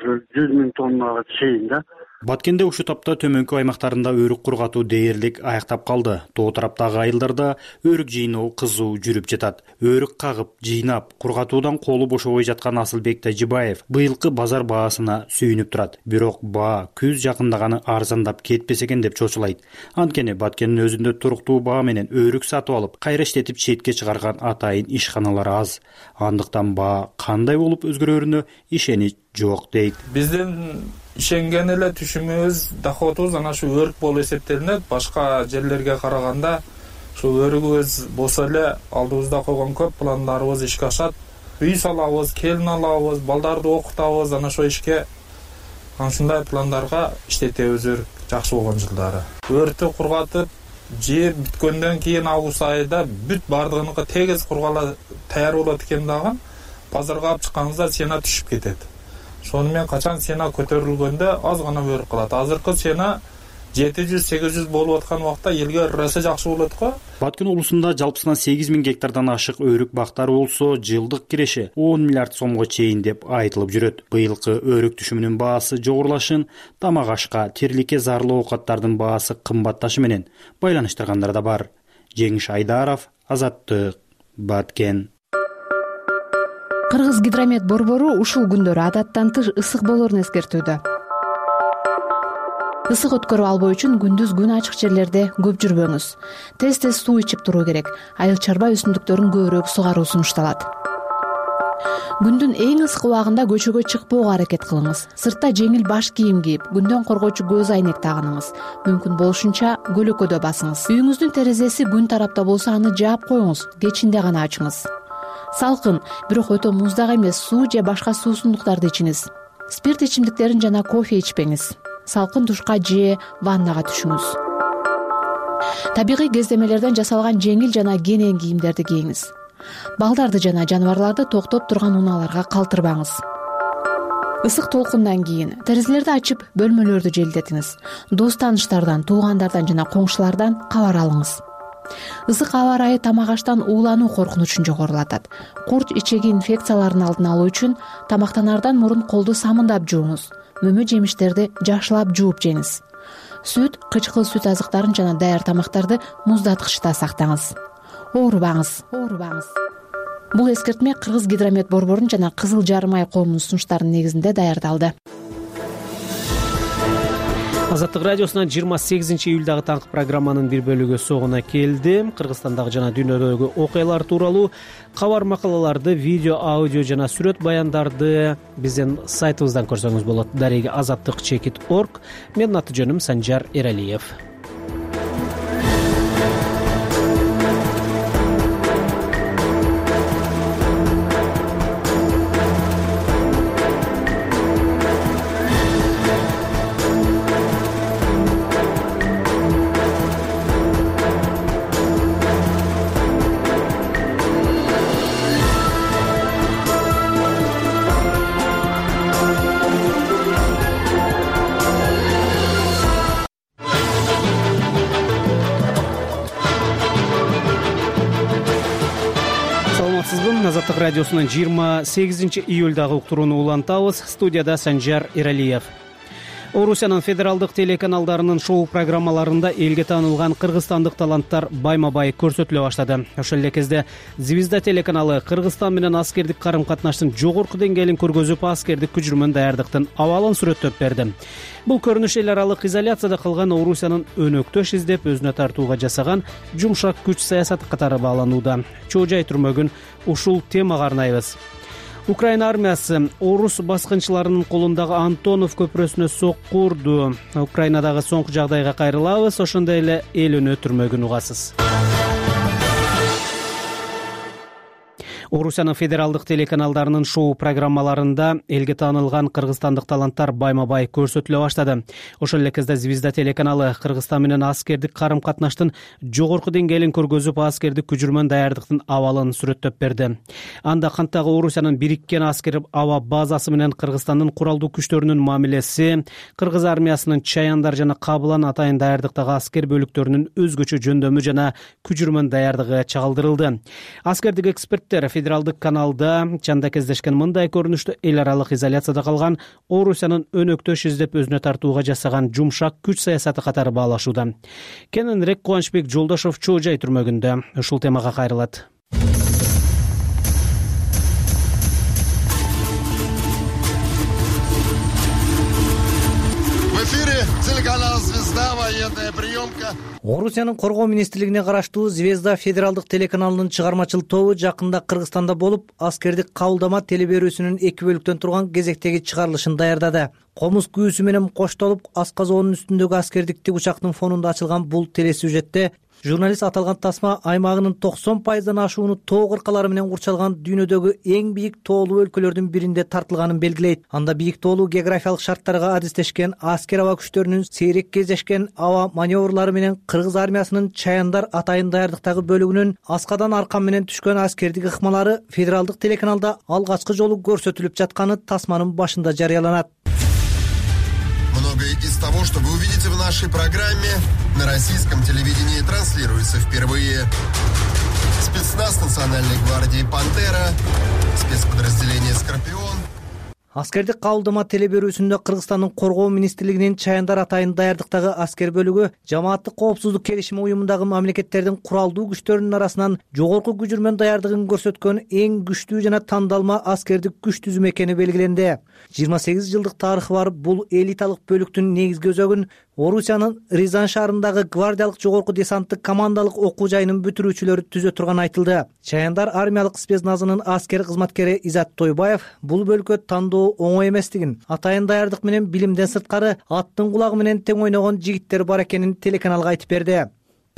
100 миң тоннага чейин да. Баткенде ушул тапта төмөнкү аймактарында өрүк кургатуу дээрлик аяктап калды. Тоо тараптагы айылдарда өрүк жыйноо кызуу жүрүп жатат. Өрүк кагып, жыйнап, кургатуудан колу бошобой жаткан Асылбек Тажибаев быйылкы базар баасына сүйүнүп турат. Бирок баа күз жакындаганы арзандап кетпесе экен деп чочулайт. Анткени Баткендин өзүндө туруктуу баа менен өрүк сатып алып, кайра иштетип четке чыгарган атайын ишканалар аз. Андыктан баа кандай болуп өзгөрөрүнө ишенич жок дейт. Биздин ишенген эле түшүмүбүз, доходубуз ana shu өрүк болуп эсептелинет. Башка жерлерге караганда ушул өрүгүбүз болсо эле алдыбызда койгон көп пландарыбыз ишке ашат. Үй салабыз, келин алабыз, балдарды окутабыз, ana shu ишке ушундай пландарга иштетебиз өрүк жакшы болгон жылдары. Өрүктү кургатып, жер бүткөндөн кийин август айында бүт бардыгыныкы тегиз кургала таяр болот экен дагы базарга алып чыкканыбызда цена түшүп кетет. Сонымен качан цена көтөрүлгөндө аз гана өрүк калат. Азыркы цена 700-800 болуп аткан убакта элге ырасы жакшы болот го. Баткен облусунда жалпысынан 8 миң гектардан ашык өрүк бактары болсо, жылдык киреше 10 миллиард сомго чейин деп айтылып жүрөт. Быйылкы өрүк түшүмүнүн баасы жогорулашын тамак ашка, тириликке зарлуу оокаттардын баасы кымбатташы менен байланыштыргандар да бар. Жеңиш Айдаров, Азаттык, Баткен. Кыргыз гидромет борбору ушул күндөрү адаттан тыш ысык болоорун эскертүүдө. Ысык өткөрүп албоо үчүн күндүз күн ачык жерлерде көп жүрбөңүз. Тез-тез суу ичип туруу керек. Айыл чарба өсүмдүктөрүн көбүрөөк сугаруу сунушталат. Күндүн эң ысык убагында көчөгө чыкпоого аракет кылыңыз. Сыртта жеңил баш кийим кийип, күндөн коргоочу көз айнек тагыныңыз. Мүмкүн болушунча көлөкөдө басыңыз. Үйүңүздүн терезеси күн тарапта болсо аны жаап коюңуз, кечинде гана ачыңыз. Салкын, бирок өтө муздак эмес суу же башка суусундуктарды ичиңиз. Спирт ичимдиктерин жана кофе ичпеңиз. Салкын душка же ваннага түшүңүз. Табигый кездемелерден жасалган жеңил жана кенен кийимдерди кийиңиз. Балдарды жана жаныбарларды токтоп турган унааларга калтырбаңыз. Ысык толкундан кийин терезелерди ачып, бөлмөлөрдү желдетиңиз. Дос тааныштардан, туугандардан жана коңшулардан кабар алыңыз. Ысык аба ырайы тамак аштан уулануу коркунучун жогорулатат. Курч ичеги инфекцияларын алдын алуу үчүн тамактанаардан мурун колду самындап жууңуз. Мөмө жемиштерди жакшылап жууп жеңиз. Сүт, кычкыл сүт азыктарын жана даяр тамактарды муздаткычта сактаңыз. Оорубаңыз. Бул эскертме Кыргыз гидромет борборунун жана Кызыл Жарым Ай коомунун сунуштарынын негизинде даярдалды. Азаттык радиосунан 28-июлдагы таңкы программанын бир бөлүгү соңуна келди. Кыргызстандагы жана дүйнөдөгү окуялар тууралуу кабар макалаларды, видео, аудио жана сүрөт баяндарды биздин сайтыбыздан көрсөңүз болот. Дареги azattik.org. Менин аты жөнүм Санжар Эралиев. Азаттык радиосунан 28-июлдагы уктурууну улантабыз. Студияда Санжар Эралиев. Орусиянын федералдык телеканалдарынын шоу программаларында элге таанылган кыргызстандык таланттар байма-бай көрсөтүлө баштады. Ошол эле кезде Звезда телеканалы Кыргызстан менен аскердик карым-катнаштын жогорку деңгээлин көргөзүп, аскердик күчүрмөн даярдыктын абалын сүрөттөп берди. Бул көрүнүш эл аралык изоляцияда калган Орусиянын өнөктөш издеп, өзүнө тартууга жасаган жумшак күч саясаты катары бааланууда. Чоо жай түрмөгүн ушул темага арнайбыз. Украина армиясы орус баскынчыларынын колундагы Антонов көпүрөсүнө сокку урду. Украинадагы соңку жагдайга кайрылабыз, ошондой эле эл өнөө түрмөгүн угасыз. Орусиянын федералдык телеканалдарынын шоу программаларында элге таанылган кыргызстандык таланттар байма-бай көрсөтүлө баштады. Ошол эле кезде Звезда телеканалы Кыргызстан менен аскердик карым-катнаштын жогорку деңгээлин көргөзүп, аскердик күчүрмөн даярдыктын абалын сүрөттөп берди. Анда кантагы Орусиянын бириккен аскер аба базасы менен Кыргызстандын куралдуу күчтөрүнүн мамилеси, кыргыз армиясынын Чаяндар жана Кабылан атайын даярдыктагы аскер бөлүктөрүнүн өзгөчө жөндөмү жана күчүрмөн даярдыгы чагылдырылды. Аскердик эксперттер федералдык каналда чанда кездешкен мындай көрүнүштү эл аралык изоляцияда калган Орусиянын өнөктөш издеп, өзүнө тартууга жасаган жумшак күч саясаты катары баалашууда. Кененирээк Кубанычбек Жолдошов чоо жай түрмөгүндө ушул темага кайрылат. В эфире телеканал «Звезда», военная приемка. Орусиянын коргоо министрлигине караштуу Звезда федералдык телеканалынын чыгармачыл тобу жакында Кыргызстанда болуп, аскердик кабылдама телеберүүсүнүн 2 бөлүктөн турган кезектеги чыгарылышын даярдады. Комуз күүсү менен коштолуп, асказоонун үстүндөгү аскердик тигучактын фонунда ачылган бул телесюжетте журналист аталган тасма аймагынын 90%дан ашууну тоо кыркалары менен курчалган дүйнөдөгү эң бийик тоолуу өлкөлөрдүн биринде тартылганын белгилейт. Анда бийик тоолуу географиялык шарттарга адистешкен аскер аба күчтөрүнүн сейрек кездешкен аба маневрлары менен кыргыз армиясынын Чаяндар атайын даярдыктагы бөлүгүнүн аскадан аркан менен түшкөн аскердик ыкмалары федералдык телеканалда алгачкы жолу көрсөтүлүп жатканы тасманын башында жарыяланат. Многое из того, что вы увидите в нашей программе, на российском телевидении транслируется впервые. Спецназ Национальной гвардии «Пантера», спецподразделение «Скорпион». Аскердик кабылдама телеберүүсүндө Кыргызстандын коргоо министрлигинин Чаяндар атайын даярдыктагы аскер бөлүгү жамааттык коопсуздук келишими уюмундагы мамлекеттердин куралдуу күчтөрүнүн арасынан жогорку күчүрмөн даярдыгын көрсөткөн эң күчтүү жана тандалма аскердик күч түзүм экени белгиленди. 28 жылдык тарыхы бар бул элиталык бөлүктүн негизги өзөгүн Орусиянын Рязань шаарындагы гвардиялык жогорку десанттык командалык окуу жайынын бүтүрүүчүлөрү түзө турганы айтылды. Чаяндар армиялык спецназынын аскер кызматкери Изат Тойбаев бул бөлкө тандоо оңой эместигин, атайын даярдык менен билимден сырткары аттын кулагы менен тең ойногон жигиттер бар экенин телеканалга айтып берди.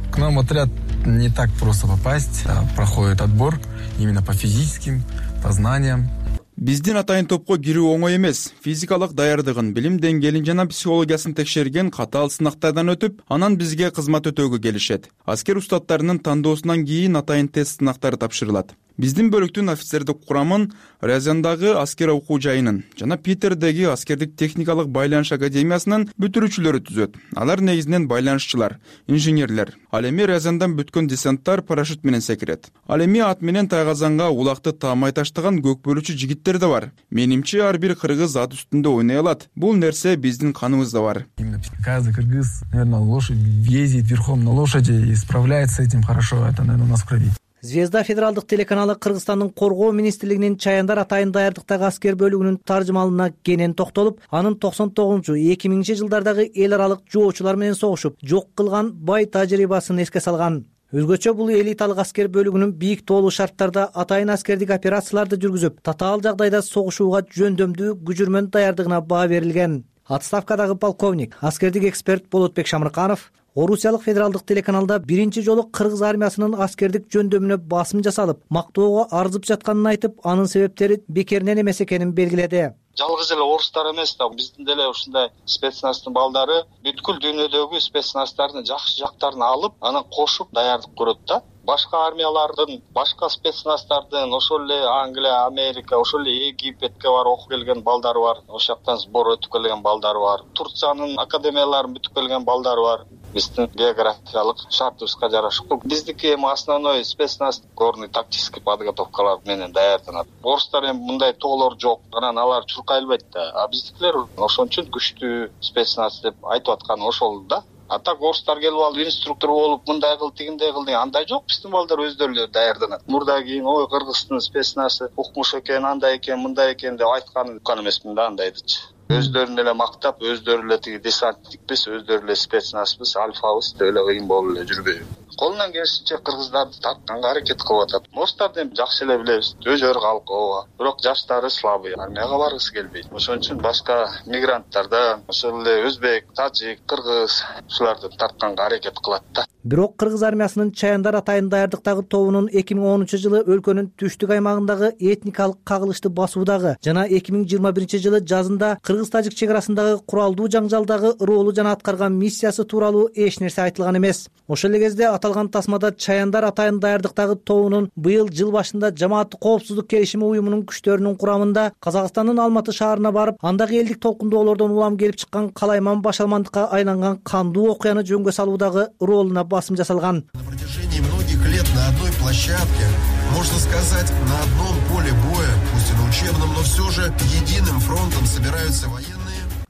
К нам в отряд не так просто попасть, проходит отбор именно по физическим, по знаниям. Биздин атайын топко кирүү оңой эмес. Физикалык даярдыгын, билим деңгээлин жана психологиясын текшерген катаал сынактардан өтүп, анан бизге кызмат өтөөгө келишет. Аскер устаттарынын тандоосунан кийин атайын тест сынактары тапшырылат. Биздин бөлүктүн офицердик курамын Рязандагы аскер окуу жайынын жана Питердеги аскердик техникалык байланыш академиясынын бүтүрүүчүлөрү түзөт. Алар негизинен байланышчылар, инженерлер. Ал эми Рязандан бүткөн десанттар парашют менен секирет. Ал эми ат менен тайгазанга улакты таамай таштаган көк бөлүүчү жигиттер да бар. Менимче ар бир кыргыз ат үстүндө ойной алат. Бул нерсе биздин каныбызда бар. Каждый кыргыз, наверное, лошадь ездит верхом на лошади и справляется с этим хорошо. Это, наверное, у нас в крови. Звезда федералдык телеканалы Кыргызстандын коргоо министрлигинин Чаяндар атайын даярдыктагы аскер бөлүгүнүн таржымалына кенен токтолуп, анын 99-2000 жылдардагы эл аралык жоочулар менен согушуп жок кылган бай тажрыйбасын эске салган. Өзгөчө бул элиталык аскер бөлүгүнүн бийик тоолуу шарттарда атайын аскердик операцияларды жүргүзүп, татаал жагдайда согушууга жөндөмдүү күжүрмөн даярдыгына баа берилген. Отставкадагы полковник, аскердик эксперт Болотбек Шамырканов Орусиялык федералдык телеканалда биринчи жолу кыргыз армиясынын аскердик жөндөмүнө басым жасалып, мактоого арзып жатканын айтып, анын себептери бекеринен эмес экенин белгиледи. Жалгыз эле орустар эмес да, биздин деле ушундай спецназтын балдары бүткүл дүйнөдөгү спецназтардын жакшы жактарын алып, анан кошуп даярдык көрөт да. Башка армиялардын, башка спецназтардын, ошол эле Англия, Америка, ошол эле Египетке барып окуп келген балдары бар. Ошол жактан сбор өтүп келген балдары бар. Турциянын академияларын бүтүп келген балдары бар. Биздин географиялык шартыбызга жарашып, биздики эми основной спецназ горный тактический подготовкалар менен даярданат. Орустар эми мындай тоолор жок, анан алар чуркай албайт да. А биздикилер ошон үчүн күчтүү спецназ деп айтып атканы ошол да. А так орустар келип алып инструктор болуп мындай кыл, тигиндей кыл деген андай жок. Биздин балдар өздөрү эле даярданат. Мурда кийин ой Кыргыздын спецназы укмуш экен, андай экен, мындай экен деп айткан эмесмин да андайдычы. Өздөрүн эле мактап, өздөрү эле тиги десантникпиз, өздөрү эле спецназбыз, альфабыз деп эле кыйын болуп эле жүрбөйбү. Колунан келишинче кыргыздарды тартканга аракет кылып атат. Орустарды эми жакшы эле билебиз, өжөр калк ооба. Бирок жаштары слабый, армияга баргысы келбейт. Ошон үчүн башка мигранттарда, ошол эле өзбек, тажик, кыргыз ушуларды тартканга аракет кылат да. Бирок кыргыз армиясынын Чаяндар атайын даярдыктагы тобунун 2010-жылы өлкөнүн түштүк аймагындагы этникалык кагылышты басуудагы жана 2021-жылы жазында кыргыз-тажик чек арасындагы куралдуу жаңжалдагы ролу жана аткарган миссиясы тууралуу эч нерсе айтылган эмес. Ошол эле кезде аталган тасмада Чаяндар атайын даярдыктагы тобунун быйыл жыл башында Жамааттык коопсуздук келишими уюмунун күчтөрүнүн курамында Казакстандын Алматы шаарына барып, андагы элдик толкундоолордон улам келип чыккан калайман башалмандыкка айланган кандуу окуяны жөнгө салуудагы ролуна басым жасалган. На протяжении многих лет на одной площадке, можно сказать, на одном поле боя, пусть и на учебном, но все же единым фронтом собираются военные.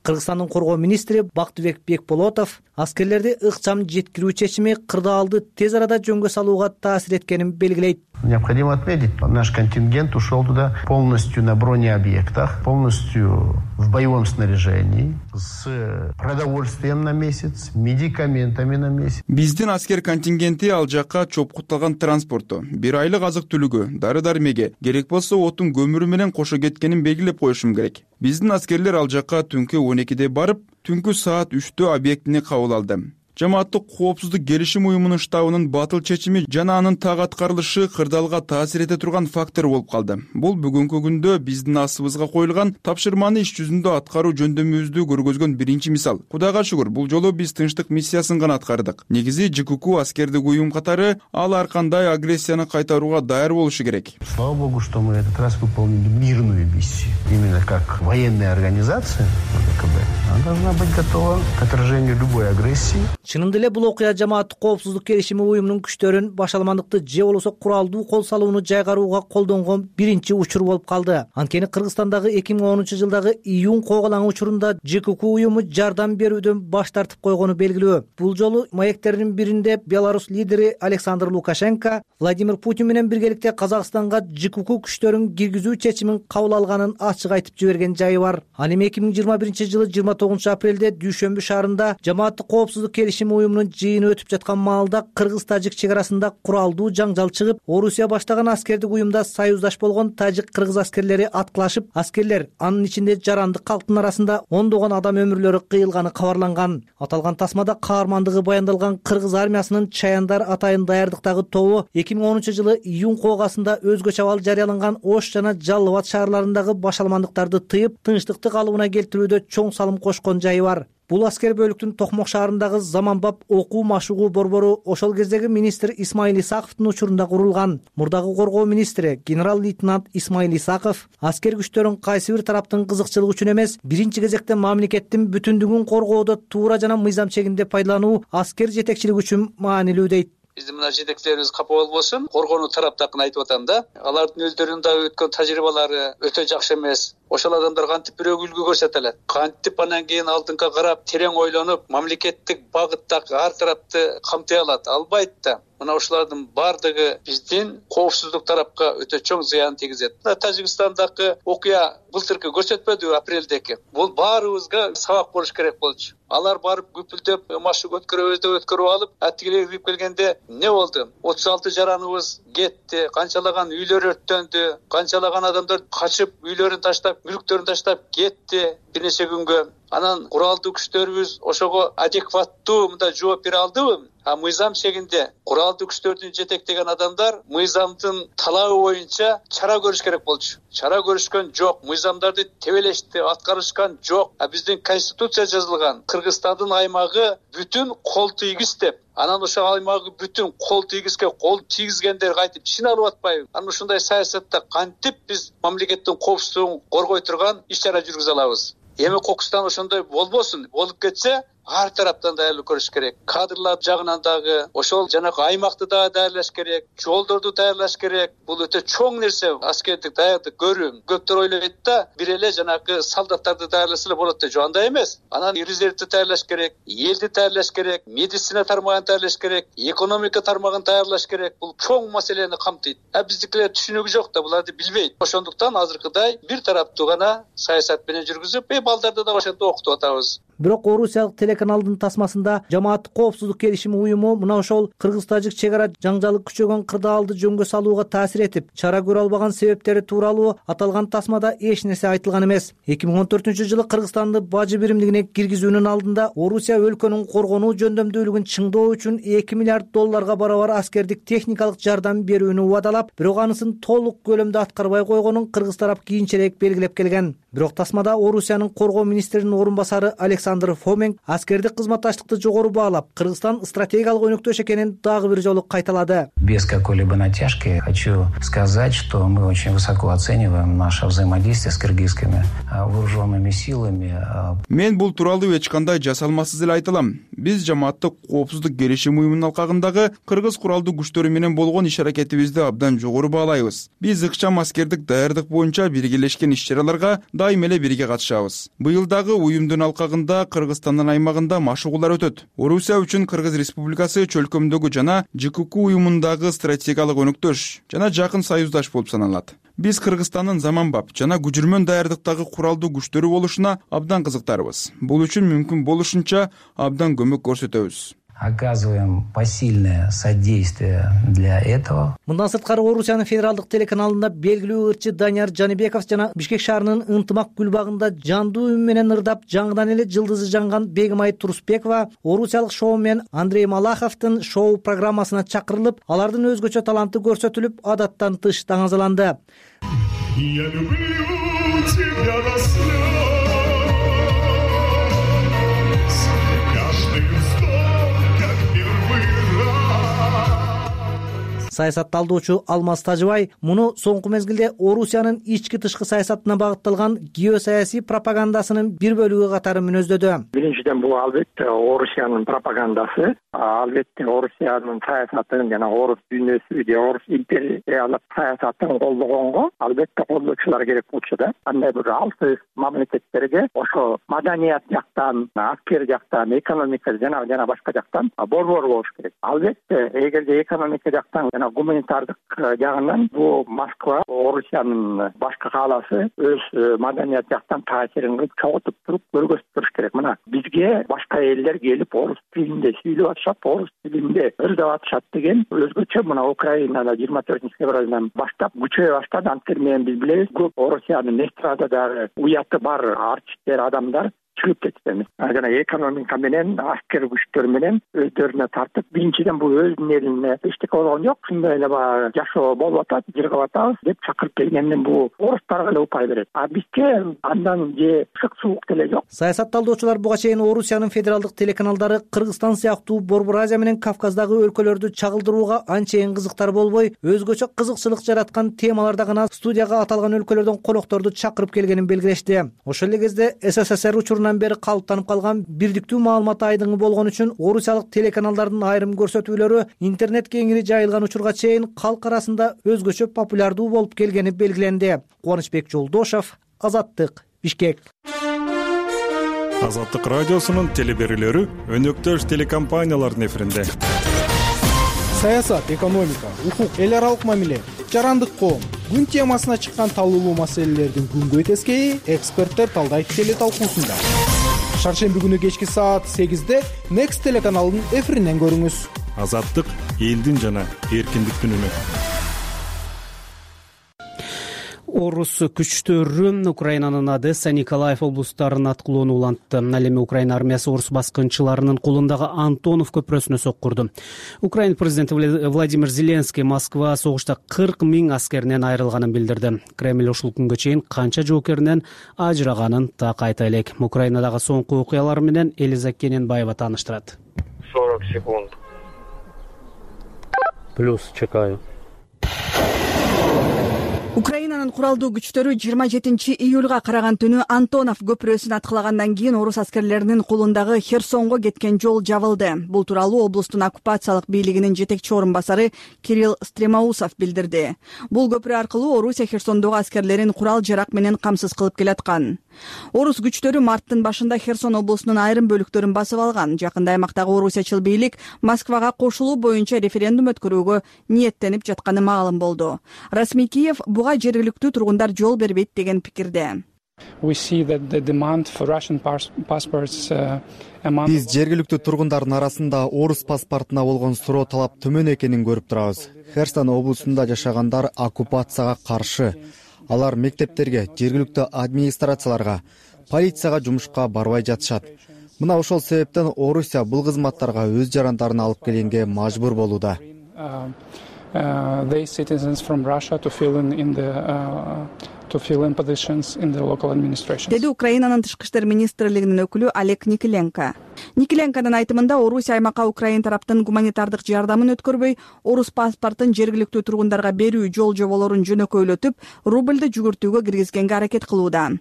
Кыргызстандын коргоо министри Бактыбек Бекболотов аскерлерди ыкчам жеткирүү чечими кырдаалды тез арада жөнгө салууга таасир эткенин белгилейт. Необходимо отметить, наш контингент ушел туда полностью на бронеобъектах, полностью в боевом снаряжении, с продовольствием на месяц, медикаментами на месяц. Биздин аскер контингенти ал жакка чопкутталган транспорту, бир айлык азык-түлүгү, дары-дармеге, керек болсо отун көмүрү менен кошо кеткенин белгилеп коюшум керек. Биздин аскерлер ал жакка түнкү 12-де барып, түнкү саат 3-тө объектине кабыл алды. Жамааттык коопсуздук келишим уюмунун штабынын батыл чечими жана анын так аткарылышы кырдаалга таасир эте турган фактор болуп калды. Бул бүгүнкү күндө биздин астыбызга коюлган тапшырманы иш жүзүндө аткаруу жөндөмүбүздү көргөзгөн биринчи мисал. Кудайга шүгүр, бул жолу биз тынчтык миссиясын гана аткардык. Негизи ЖКК аскердик уюм катары ал ар кандай агрессияны кайтарууга даяр болушу керек. Слава богу, что мы этот раз выполнили мирную миссию. Именно как военная организация ВКБ, она должна быть готова к отражению любой агрессии. Чынында эле бул окуя Жамааттык коопсуздук келишими уюмунун күчтөрүн башаламандыкты же болбосо куралдуу кол салууну жайгарууга колдонгон биринчи учур болуп калды. Анткени Кыргызстандагы 2010-жылдагы июнь коогалаңы учурунда ЖКК уюму жардам берүүдөн баш тартып койгону белгилүү. Бул жолу маектердин биринде Беларусь лидери Александр Лукашенко Владимир Путин менен биргеликте Казакстанга ЖКК күчтөрүн киргизүү чечимин кабыл алганын ачык айтып жиберген жайы бар. Ал эми 2021-жылы 29-апрелде Дүйшөмбү шаарында Жамааттык коопсуздук келишими уюмунун жыйыны өтүп жаткан маалда кыргыз-тажик чек арасында куралдуу жаңжал чыгып, Орусия баштаган аскердик уюмда союздаш болгон тажик-кыргыз аскерлери аткылашып, аскерлер, анын ичинде жарандык калктын арасында ондогон адам өмүрлөрү кыйылганы кабарланган. Аталган тасмада каармандыгы баяндалган кыргыз армиясынын Чаяндар атайын даярдыктагы тобу 2010-жылы июнь коогасында өзгөчө абал жарыяланган Ош жана Жалал Абад шаарларындагы башаламандыктарды тыйып, тынчтыкты калыбына келтирүүдө чоң салым кошкон жайы бар. Бул аскер бөлүктүн Токмок шаарындагы заманбап окуу машыгуу борбору ошол кездеги министр Исмаил Исаковдун учурунда курулган. Мурдагы коргоо министри генерал-лейтенант Исмаил Исаков аскер күчтөрүн кайсы бир тараптын кызыкчылыгы үчүн эмес, биринчи кезекте мамлекеттин бүтүндүгүн коргоодо туура жана мыйзам чегинде пайдалануу аскер жетекчилиги үчүн маанилүү дейт. Биздин мына жетекчилерибиз капа болбосун, коргонуу тараптакын айтып атам да. Алардын өздөрүнүн да өткөн тажрыйбалары өтө жакшы эмес. ошол адамдар кантип бирөөгө үлгү көрсөтө алат, кантип анан кийин алдыңга карап терең ойлонуп мамлекеттик багытта ар тарапты камтый алат, албайт да. Мына ушулардын бардыгы биздин коопсуздук тарапка өтө чоң зыян тийгизет. Тажикстандагы окуя былтыркы көрсөтпөдү апрелдеги. Бул баарыбызга сабак болуш керек болчу. Алар барып күпүлдөп машык өткөрөбүз деп өткөрүп алып, атигилерге кирип келгенде эмне болду? 36 жараныбыз кетти, канчалаган үйлөр өрттөндү, канчалаган адамдар качып үйлөрүн таштап, мүлктөрүн таштап кетти бир нече күнгө. Анан куралдуу күчтөрүбүз ошого адекваттуу мындай жооп бере алдыбы? Мыйзам чегинде куралдуу күчтөрдүн жетектеген адамдар мыйзамдын талабы боюнча чара көрүш керек болчу. Чара көрүшкөн жок, мыйзамдарды тебелешти, аткарышкан жок. Биздин конституция жазылган Кыргызстандын аймагы бүтүн кол тийгиз деп. Анан ошол аймагы бүтүн кол тийгизге кол тийгизгендер кайтып ишин алып атпайбы? Анан ушундай саясатта кантип биз мамлекеттин коопсуздугун коргой турган иш-чара жүргүзө алабыз? Эми Кокустан ошондой болбосун. Болуп кетсе, ар тараптан даярдык көрүш керек. Кадрлар жагынан дагы ошол жанагы аймакты да даярдаш керек, жолдорду даярдаш керек. Бул өтө чоң нерсе, аскердик даярдык көрүү. Көптөр ойлойт да, бир эле жанагы солдаттарды даярласа эле болот деп. Андай эмес. Анан резервди даярлаш керек, элди даярлаш керек, медицина тармагын даярлаш керек, экономика тармагын даярлаш керек. Бул чоң маселени камтыйт. Биздикилер түшүнүгү жок да, буларды билбейт. Ошондуктан азыркыдай бир тараптуу гана саясат менен жүргүзүп, балдарды да ошентип окутуп атабыз. Бирок орусиялык телеканалдын тасмасында жамааттык коопсуздук келишими уюму мына ошол кыргыз-тажик чек ара жаңжалы күчөгөн кырдаалды жөнгө салууга таасир этип, чара көрө албаган себептери тууралуу аталган тасмада эч нерсе айтылган эмес. 2014-жылы Кыргызстанды бажы биримдигине киргизүүнүн алдында Орусия өлкөнүн коргонуу жөндөмдүүлүгүн чыңдоо үчүн $2 миллиард барабар аскердик техникалык жардам берүүнү убадалап, бирок анысын толук көлөмдө аткарбай койгонун кыргыз тарап кийинчерээк белгилеп келген. Бирок тасмада Орусиянын коргоо министринин орун басары Александр Фоменг аскердик кызматташтыкты жогору баалап, Кыргызстан стратегиялык өнөктөш экенин дагы бир жолу кайталады. Без какой-либо натяжки хочу сказать, что мы очень высоко оцениваем наше взаимодействие с кыргызскими вооруженными силами. Мен бул тууралуу эч кандай жасалмасыз эле айта алам. Биз жамааттык коопсуздук келишими уюмунун алкагындагы кыргыз куралдуу күчтөрү менен болгон иш-аракетибизди абдан жогору баалайбыз. Биз ыкчам аскердик даярдык боюнча биргелешкен иш-чараларга дайыма эле бирге катышабыз. Быйыл дагы уюмдун алкагында Кыргызстандын аймагында машыгуулар өтөт. Орусия үчүн Кыргыз Республикасы чөлкөмдөгү жана ЖКК уюмундагы стратегиялык өнөктөш жана жакын союздаш болуп саналат. Биз Кыргызстандын заманбап жана күжүрмөн даярдыктагы куралдуу күчтөрү болушуна абдан кызыктарбыз. Бул үчүн мүмкүн болушунча абдан көмөк көрсөтөбүз. Оказываем посильное содействие для этого. Мындан сырткары Орусиянын федералдык телеканалында белгилүү ырчы Данияр Жаныбеков жана Бишкек шаарынын Ынтымак гүлбагында жандуу үн менен ырдап жаңыдан эле жылдызы жанган Бегимай Турусбекова орусиялык шоумен Андрей Малаховдун шоу программасына чакырылып, алардын өзгөчө таланты көрсөтүлүп, адаттан тыш таңазаланды. Я люблю тебя до слез. Саясат талдоочу Алмаз Тажыбай муну соңку мезгилде Орусиянын ички тышкы саясатына багытталган геосаясий пропагандасынын бир бөлүгү катары мүнөздөдү. Биринчиден бул албетте Орусиянын пропагандасы, албетте Орусиянын саясатын жана орус дүйнөсү же орус империялык саясатын колдогонго албетте колдоочулар керек болчу да. Андай бир алсыз мамлекеттерге ошо маданият жактан, аскер жактан, экономика жана башка жактан борбор болуш керек. Албетте эгерде экономика жактан гуманитардык жагынан бул Москва Орусиянын башкы кааласы өз маданият жактан таасирин чогултуп туруп көргөзүп туруш керек. Мына бизге башка элдер келип орус тилинде сүйлөп атышат, орус тилинде ырдап атышат деген өзгөчө мына Украинада 24-февралдан баштап күчөйө баштады. Анткени менен биз билебиз, көп Орусиянын эстрададагы уяты бар артисттер, адамдар чыгып кетти. Жана экономика менен, аскер күчтөр менен өздөрүнө тартып, биринчиден бул өзүнүн элине эчтеке болгон жок, ушундай эле жашоо болуп атат, жыргап атабыз деп чакырып келгенден бул орустарга эле упай берет. Бизге андан же ысык суук деле жок. Саясат талдоочулар буга чейин Орусиянын федералдык телеканалдары Кыргызстан сыяктуу Борбор Азия менен Кавказдагы өлкөлөрдү чагылдырууга анчейин кызыктар болбой, өзгөчө кызыкчылык жараткан темаларда гана студияга аталган өлкөлөрдөн конокторду чакырып келгенин белгилешти. Ошол эле кезде СССР учурунан бери калыптанып калган бирдиктүү маалымат айдыңы болгон үчүн орусиялык телеканалдардын айрым көрсөтүүлөрү интернет кеңири жайылган учурга чейин калк арасында өзгөчө популярдуу болуп келгени белгиленди. Кубанычбек Жолдошов, Азаттык, Бишкек. Азаттык радиосунун телеберүүлөрү өнөктөш телекомпаниялардын эфиринде. Саясат, экономика, укук, эл аралык мамиле, жарандык коом, күн темасына чыккан талуулуу маселелердин күнгөй тескейи эксперттер талдайт телеталкуусунда. Шаршемби күнү кечки саат 8-де Next телеканалынын эфиринен көрүңүз. Азаттык элдин жана эркиндиктин үнү. Орус күчтөрү Украинанын Одесса, Николаев облустарын аткылоону улантты. Ал эми Украина армиясы орус баскынчыларынын колундагы Антонов көпүрөсүнө соккурду. Украина президенти Владимир Зеленский Москва согушта 40 000 аскеринен айрылганын билдирди. Кремль ушул күнгө чейин канча жоокеринен ажыраганын так айта элек. Украинадагы соңку окуялар менен Элиза Кененбаева тааныштырат. 40 секунд. Плюс чекаю. Украинанын куралдуу күчтөрү 27 июлга караган түнү Антонов көпүрөсүн аткылагандан кийин орус аскерлеринин колундагы Херсонго кеткен жол жабылды. Бул тууралуу облустун оккупациялык бийлигинин жетекчи орун басары Кирилл Стремоусов билдирди. Бул көпүрө аркылуу Орусия Херсондогу аскерлерин курал жарак менен камсыз кылып келаткан. Орус күчтөрү марттын башында Херсон облусунун айрым бөлүктөрүн басып алган. Жакында аймактагы орусиячыл бийлик Москвага кошулуу боюнча референдум өткөрүүгө ниеттенип жатканы маалым болду. Расмий Киев буга жергиликтүү тургундар жол бербейт деген пикирде. Биз жергиликтүү тургундардын арасында орус паспортуна болгон суроо талап төмөн экенин көрүп турабыз. Херсон облусунда жашагандар оккупацияга каршы. Алар мектептерге, жергиликтүү администрацияларга, полицияга жумушка барбай жатышат. Мына ошол себептен Орусия бул кызматтарга өз жарандарын алып келгенге мажбур болууда. Деди Украинанын тышкы иштер министрлигинин өкүлү Олег Никиленко. Никиленконун айтымында Орусия аймакка Украин тараптын гуманитардык жардамын өткөрбөй, орус паспортун жергиликтүү тургундарга берүү жол-жоболорун жөнөкөйлөтүп, рубльды жүгүртүүгө киргизгенге аракет кылууда.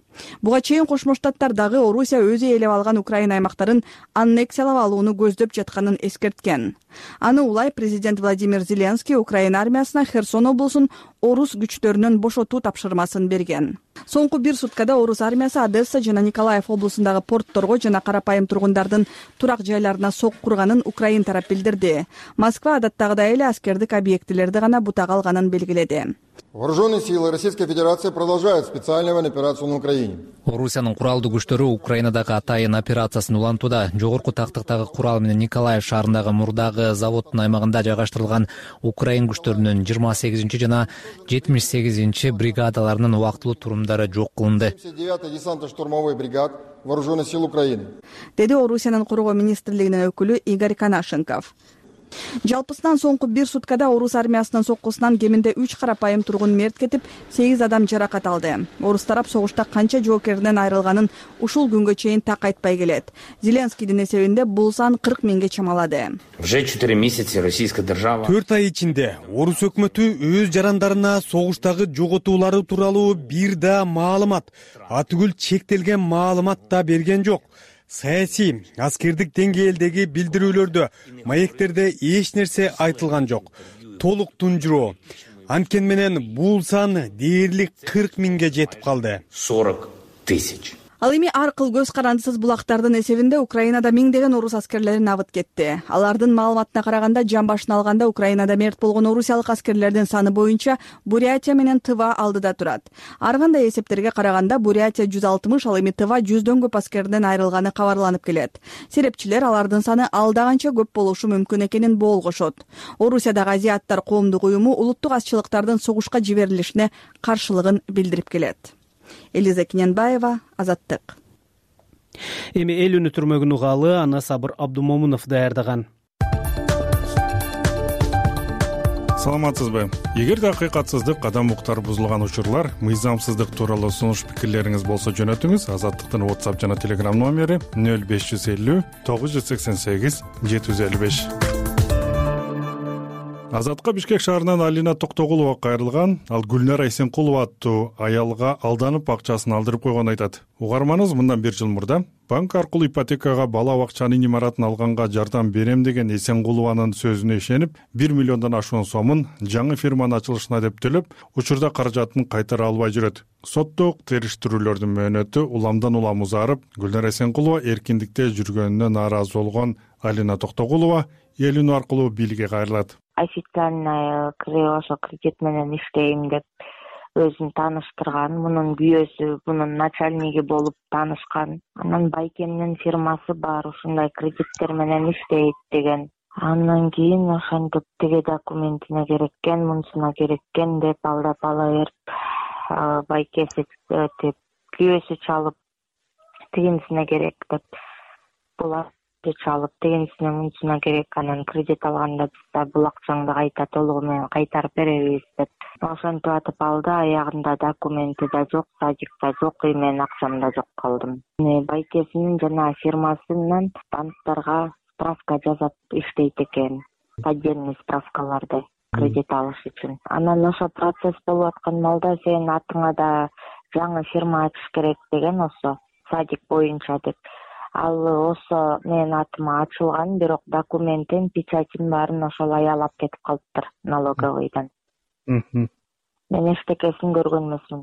Буга чейин Кошмо Штаттар дагы Орусия өзү ээлеп алган Украин аймактарын аннексиялап алууну көздөп жатканын эскерткен. Аны улай президент Владимир Зеленский Украина армиясына Херсон облусун орус күчтөрүнөн бошотуу тапшырмасын берген. Соңку 1 суткада орус армиясы Одесса жана Николаев облусундагы портторго жана карапайым тургундардын турак жайларына соккурганын Украин тарап билдирди. Москва адаттагыдай эле аскердик объектилерди гана бутага алганын белгиледи. Вооруженные силы Российской Федерации продолжают специальную военную операцию на Украине. Орусиянын куралдуу күчтөрү Украинадагы атайын операциясын улантууда. Жогорку тактыктагы курал менен Николаев шаарындагы мурдагы заводдун аймагында жайгаштырылган Украин күчтөрүнүн 28 жана 78 бригадаларынын убактылуу турумдары жок кылынды. 9-й десантно-штурмовой бригад Вооруженных сил Украины. Деди Орусиянын коргоо министрлигинин өкүлү Игорь Канашенков. Жалпысынан соңку 1 суткада орус армиясынын соккусунан кеминде 3 карапайым тургун мерт кетип, 8 адам жаракат алды. Орус тарап согушта канча жоокеринен айрылганын ушул күнгө чейин так айтпай келет. Зеленскийдин эсебинде бул сан 40 000ге чамалады. Уже 4 месяца российская держава 4 ай ичинде орус өкмөтү өз жарандарына согуштагы жоготуулары тууралуу бир да маалымат, атүгүл чектелген маалымат да берген жок. Саясий, аскердик деңгээлдеги билдирүүлөрдө, маектерде эч нерсе айтылган жок. Толук тунжуроо. Анткени менен бул сан дээрлик 40 000ге жетип калды. 40 000. Ал эми ар кыл көз карандысыз булактардын эсебинде Украинада миңдеген орус аскерлерин абыт кетти. Алардын маалыматына караганда жан башына алганда Украинада мерт болгон орусиялык аскерлердин саны боюнча Бурятия менен Тыва алдыда турат. Ар кандай эсептерге караганда Бурятия 160, ал эми Тыва 100дөн көп аскерден айрылганы кабарланып келет. Серепчилер алардын саны алдаганча көп болушу мүмкүн экенин болгошот. Орусиядагы азиаттар коомдук уюму улуттук азчылыктардын согушка жиберилишине каршылыгын билдирип келет. Элиза Кененбаева, Азаттык. Эми эл үнү түрмөгүн угалы аны Сабыр Абдумомунов даярдаган. Саламатсызбы? Эгерде акыйкатсыздык, адам укуктары бузулган учурлар, мыйзамсыздык тууралуу сунуш пикирлериңиз болсо жөнөтүңүз. Азаттыктын WhatsApp жана Telegram номери 0550 988 755. Азатка Бишкек шаарынан Алина Токтогулова кайрылган. Ал Гүлнара Эсенкулова аттуу аялга алданып акчасын алдырып койгонун айтат. Угарманыбыз мындан 1 жыл мурда банк аркылуу ипотекага бала бакчанын имаратын алганга жардам берем деген Эсенкулованын сөзүнө ишенип, 1 миллиондон ашуун сомун жаңы фирманын ачылышына деп төлөп, учурда каражатын кайтара албай жүрөт. Соттук териштирүүлөрдүн мөөнөтү уламдан улам узарып, Гүлнара Эсенкулова эркиндикте жүргөнүнө нааразы болгон Алина Токтогулова элүү аркылуу бийликке кайрылат. Официально ошо кредит менен иштейм деп өзүн тааныштырган, мунун күйөөсү, мунун начальниги болуп таанышкан. Анан байкемдин фирмасы бар, ушундай кредиттер менен иштейт деген. Андан кийин ошентип тиги документине кереккен, мунусуна кереккен деп алдап ала берип, байкеси деп күйөөсү чалып, тигинсине керек деп булар чалып, тигинсине мунусуна керек, анан кредит алганда биз бул акчаңды кайта толугу менен кайтарып беребиз деп. Ошентип атып алды, аягында документи да жок, садик да жок, мен акчам да жок калдым. Байкесинин жана фирмасынан банктарга справка жазап иштейт экен, поддельный справкаларды кредит алыш үчүн. Анан ошо процесс болуп аткан малда сен атыңа да жаңы фирма ачыш керек деген, ошо садик боюнча деп. Ал ошо менин атыма ачылган, бирок документин, печатин баарын ошол аял алып кетип калыптыр налоговыйдан. Мен эчтекесин көргөн эмесмин.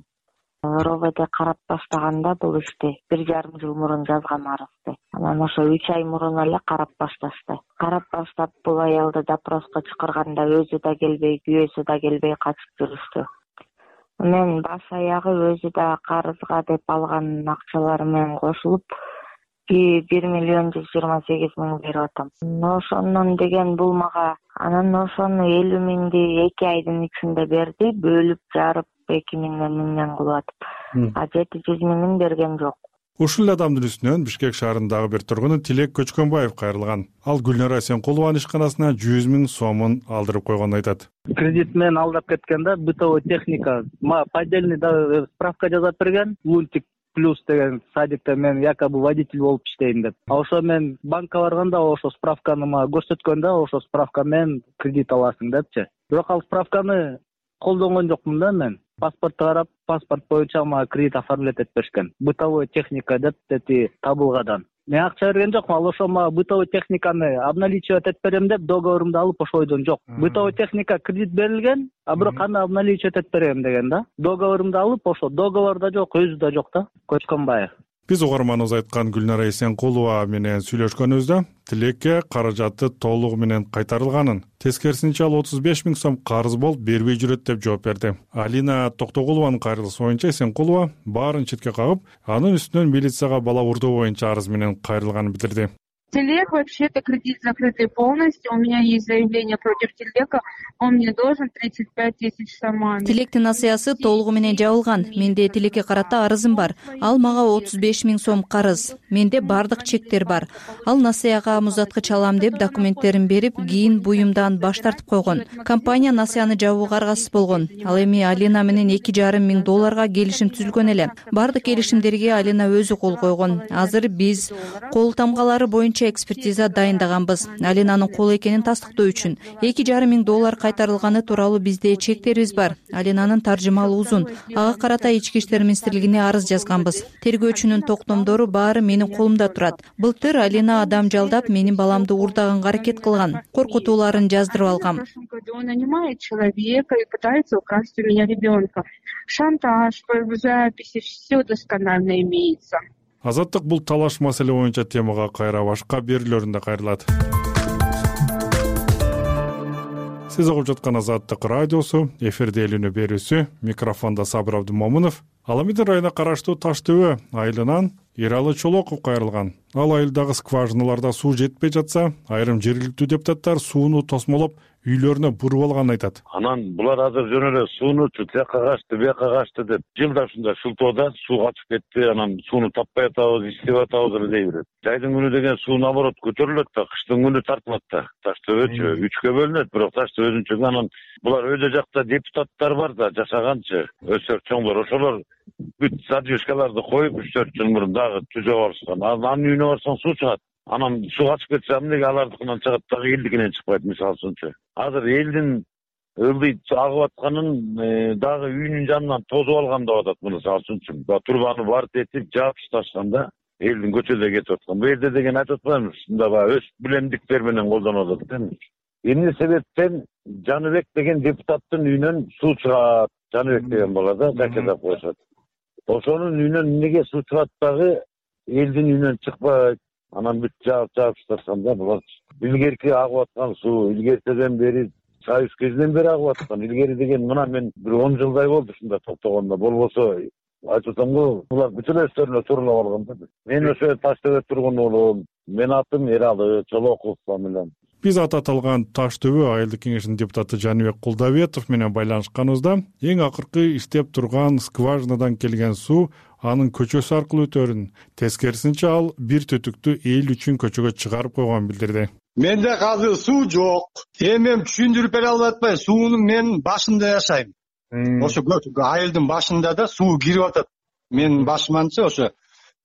РОВД карап баштаганда бул ишти 1,5 жыл мурун жазган арызды. Анан ошо 3 ай мурун эле карап башташты. Карап баштап бул аялды допроско чакырганда өзү да келбей, күйөөсү да келбей качып жүрүштү. Мен баш аягы өзү да карызга деп алган акчалары менен кошулуп 1,128,000 берип атам. Ошондон деген бул мага анан ошону 50,000ди 2 айдын ичинде берди, бөлүп жарып 2,000 кылып атып. 700,000 берген жок. Ушул адамдын үстүнөн Бишкек шаарындагы бир тургуну Тилек Көчкөнбаев кайрылган. Ал Гүлнара Эсенкулованын ишканасына 100,000 сомун алдырып койгонун айтат. Кредит менен алдап кеткен да, бытовой техника, поддельный справка жазап берген, лунтик плюс деген садикте мен якобы водитель болуп иштейм деп. Ошо мен банкка барганда ошо справканы мага көрсөткөн да, ошо справка менен кредит аласың депчи. Бирок ал справканы колдонгон жокмун да мен. Паспортто карап, паспорт боюнча мага кредит оформлять этип беришкен. Бытовой техника деп табылгадан. Мен акча берген жокмун, ал ошо мага бытовой техниканы обналичивать этип берем деп договорумду алып ошо ойдон жок. Бытовой техника кредит берилген, а бирок аны обналичивать этип берем деген да. Договорумду алып ошо договорда жок, өзү да жок да. Көчкөнбаев. Биз угарманыбыз айткан Гүлнара Эсенкулова менен сүйлөшкөнүбүздө Тилекке каражаты толугу менен кайтарылганын, тескерисинче ал 35,000 сом карыз болуп бербей жүрөт деп жооп берди. Алина Токтогулованын кайрылышы боюнча Эсенкулова баарын четке кагып, анын үстүнөн милицияга бала урдоо боюнча арыз менен кайрылганын билдирди. Телек вообще-то кредит закрытый полностью. У меня есть заявление против Телека. Он мне должен 35 тысяч сомами. Тилектин насыясы толугу менен жабылган. Менде Телекке карата арызым бар. Ал мага 35,000 сом карыз. Менде бардык чектер бар. Ал насыяга муздаткыч алам деп документтерин берип, кийин буюмдан баш тартып койгон. Компания насыяны жабууга аргасыз болгон. Ал эми Алина менен $2,500 келишим түзүлгөн эле. Бардык келишимдерге Алина өзү кол койгон. Азыр биз кол тамгалары боюнча экспертиза дайындаганбыз. Алинанын кол экенин тастыктоо үчүн $2,500 кайтарылганы тууралуу бизде чектерибиз бар. Алинанын таржымалы узун. Ага карата Ички иштер министрлигине арыз жазганбыз. Тергөөчүнүн токтомдору баары менин колумда турат. Былтыр Алина адам жалдап менин баламды уурдаганга аракет кылган. Коркутууларын жаздырып алгам. Он нанимает человека и пытается украсть у меня ребенка. Шантаж, записи, все досконально имеется. Азаттык бул талаш маселе боюнча темага кайра башка берүүлөрүндө кайрылат. Сиз угуп жаткан Азаттык радиосу, эфирде элүүнү берүүсү, микрофондо Сабыр Абдымомунов. Аламидин районуна караштуу Таш ТВ айылынан Эралы Чолоков кайрылган. Ал айылдагы скважиналарда суу жетпей жатса, айрым жергиликтүү депутаттар сууну тосмолоп үйлөрүнө буруп алганын айтат. Анан булар азыр жөн эле сууну тияка качты, бияка качты деп жылда ушундай шылтоодо суу качып кетти, анан сууну таппай атабыз, иштеп атабыз эле дей берет. Жайдын күнү деген суу наоборот көтөрүлөт да, кыштын күнү тартылат да. Таш ТВчү 3кө бөлүнөт, бирок Таш ТВчү анан булар өйдө жакта депутаттар бар да, жашаганчы, өсөр чоңдор, ошолор бүт задвижкаларды коюп 3-4 жыл мурун дагы түзөп алышкан. Анын үйүнө барсаң суу чыгат. Анан суу качып кетсе эмнеге алардыкынан чыгат дагы элдикинен чыкпайт мисалы үчүнчү. Азыр элдин ылдый агып атканын дагы үйүнүн жанынан тосуп алган деп атат. Мисалы үчүнчү турбаны барып этип жаап ташташканда элдин көчөдө кетип аткан. Бу жерде деген айтып атпаймыз. Мында баягы өз билемдиктер менен колдонуп атат эми. Эмне себептен Жаныбек деген депутаттын үйүнөн суу чыгат. Жаныбек деген бала да жакедап коюшат. Ошонун үйүнөн эмнеге суу чыгат дагы элдин үйүнөн чыкпайт. Анан бүт жаап ташташканда булар илгерки агып аткан суу илгертеден бери Союз кезинен бери агып аткан. Илгери деген мына мен бир 10 жылдай болду ушунда токтогондо. Болбосо айтып атам го, булар бүт эле өздөрүнө тууралап алган да. Мен ошо Таш төбө тургун уулум. Менин атым Эралы Чолоков фамилиям. Биз аты аталган Таш төбө айылдык кеңешинин депутаты Жаныбек Кулдабетов менен байланышканыбызда эң акыркы иштеп турган скважинадан келген суу анын көчөсү аркылуу өтөрүн, тескерисинче ал бир түтүктү эл үчүн көчөгө чыгарып койгонун билдирди. Менде азыр суу жок. Мен түшүндүрүп бере албай атпайм. Суунун мен башында жашайм. Ошо айылдын башында да суу кирип атат. Менин башыманча ошо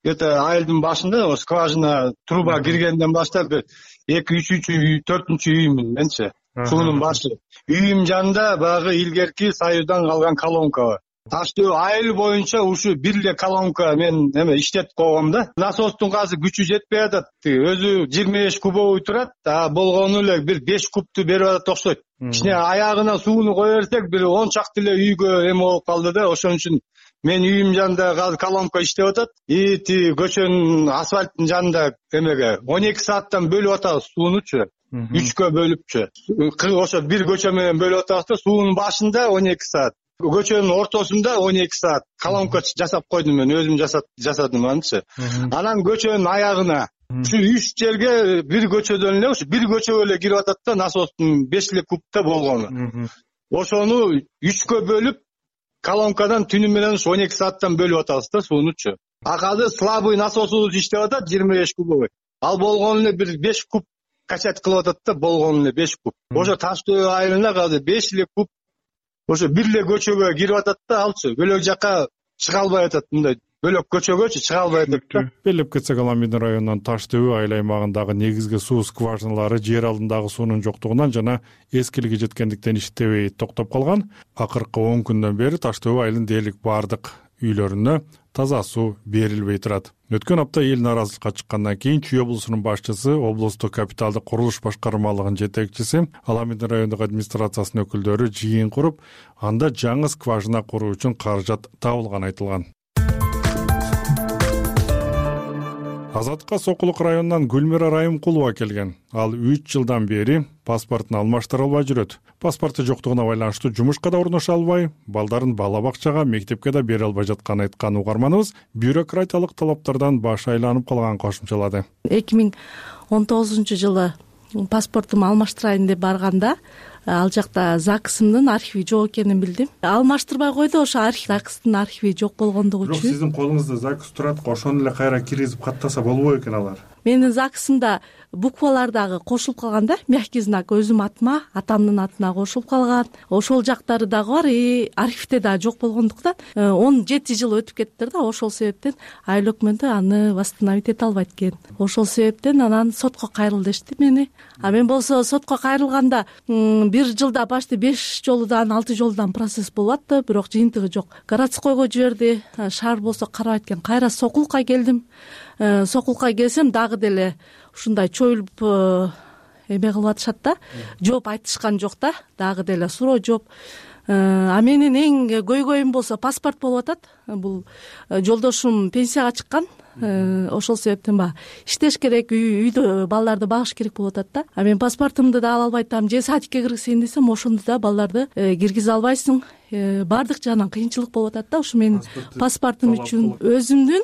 айылдын башында скважина труба киргенден баштап 2, 3, 4 үйүмүн менчи. Суунун башы. Үйүм жанында багы илгерки Союздан калган колонка бар. Таш төбө айыл боюнча ушу бир эле колонка мен иштетип койгом да. Насостун азыр күчү жетпей атат. Өзү 25 кубовый турат, болгону эле бир 5 кубту берип атат окшойт. Ичине аягына сууну кое берсек бир 10 чакты эле үйгө эме болуп калды да. Ошон үчүн мен үйүм жанында азыр колонка иштеп атат. Тиги көчөнүн асфальттын жанында эмеге 12 сааттан бөлүп атабыз суунучу. 3кө бөлүпчү. Ошо бир көчө менен бөлүп атабыз да, суунун башында 12 саат. Көчөнүн ортосунда 12 саат колонка жасап койдум мен, өзүм жасадым анчы. Анан көчөнүн аягына ушу 3 жерге бир көчөдөн эле, ушу бир көчөгө эле кирип атат да, насостун 5 эле кубта болгону. Ошону 3кө бөлүп колонкадан түнү менен 12 сааттан бөлүп атабыз да суунучу. Азыр слабый насосубуз иштеп атат 25 кубовый. Ал болгону эле бир 5 куб качать кылып атат да, болгону эле 5 куб. Ошо Таш төбө айылына азыр 5 эле куб ошо бир эле көчөгө кирип атат да, алчы бөлөк жака чыга албай атат, мындай бөлөк көчөгөчү чыга албай атат да. Белеп кетсек, Аламин районунун Таш төбө айыл аймагындагы негизги суу скважиналары жер алдындагы суунун жоктугунан жана эскилиги жеткендиктен иштебей токтоп калган. Акыркы 10 күндөн бери Таш төбө айылынын дээрлик бардык үйлөрүнө таза суу берилбей турат. Өткөн апта эл нааразычылыкка чыккандан кийин Чүй облусунун башчысы, облустук капиталдык курулуш башкармалыгынын жетекчиси, Аламин райондук администрациясынын өкүлдөрү жыйын куруп, анда жаңы скважина куруу үчүн каражат табылганы айтылган. Азаттыкка Сокулук районунан Гүлмира Райымкулова келген. Ал 3 жылдан бери паспортун алмаштыра албай жүрөт. Паспорту жоктугуна байланыштуу жумушка да орношо албай, балдарын бала бакчага, мектепке да бере албай жатканын айткан угарманыбыз бюрократиялык талаптардан башы айланып калганын кошумчалады. 2019-жылы паспортумду алмаштырайын деп барганда, ал жакта ЗАГСымдын архиви жок экенин билдим. Алмаштырбай койду, ошо ЗАГСтын архиви жок болгондугу үчүн. Бирок сиздин колуңузда ЗАГС турат, ошону эле кайра киргизип каттаса болбой экен алар. Менин ЗАГСымда буквалар дагы кошулуп калган да, мягкий знак өзүм атыма, атамдын атына кошулуп калган. Ошол жактары дагы бар, архивде дагы жок болгондуктан 17 жыл өтүп кеттир да, ошол себептен айыл өкмөтү аны восстановить эте албайт экен. Ошол себептен анан сотко кайрыл дешти мени. А мен болсо сотко кайрылганда бир жылда почти 5 жолудан 6 жолудан процесс болуп атты, бирок жыйынтыгы жок. Городскойго жиберди, шаар болсо карабайт экен. Кайра Сокулукка келдим. Сокулукка келсем дагы деле ушундай чоюлуп эме кылып атышат да, жооп айтышкан жок да, дагы деле суроо жооп. А менин эң көйгөйүм болсо паспорт болуп атат. Бул жолдошум пенсияга чыккан. Ошол себептен иштеш керек, үйдө балдарды багыш керек болуп атат да. А мен паспортумду да ала албай атам. Же садикке киргизейин десем, ошондо да балдарды киргизе албайсың. Бардык жагынан кыйынчылык болуп атат да. Ушу менин паспортум үчүн өзүмдүн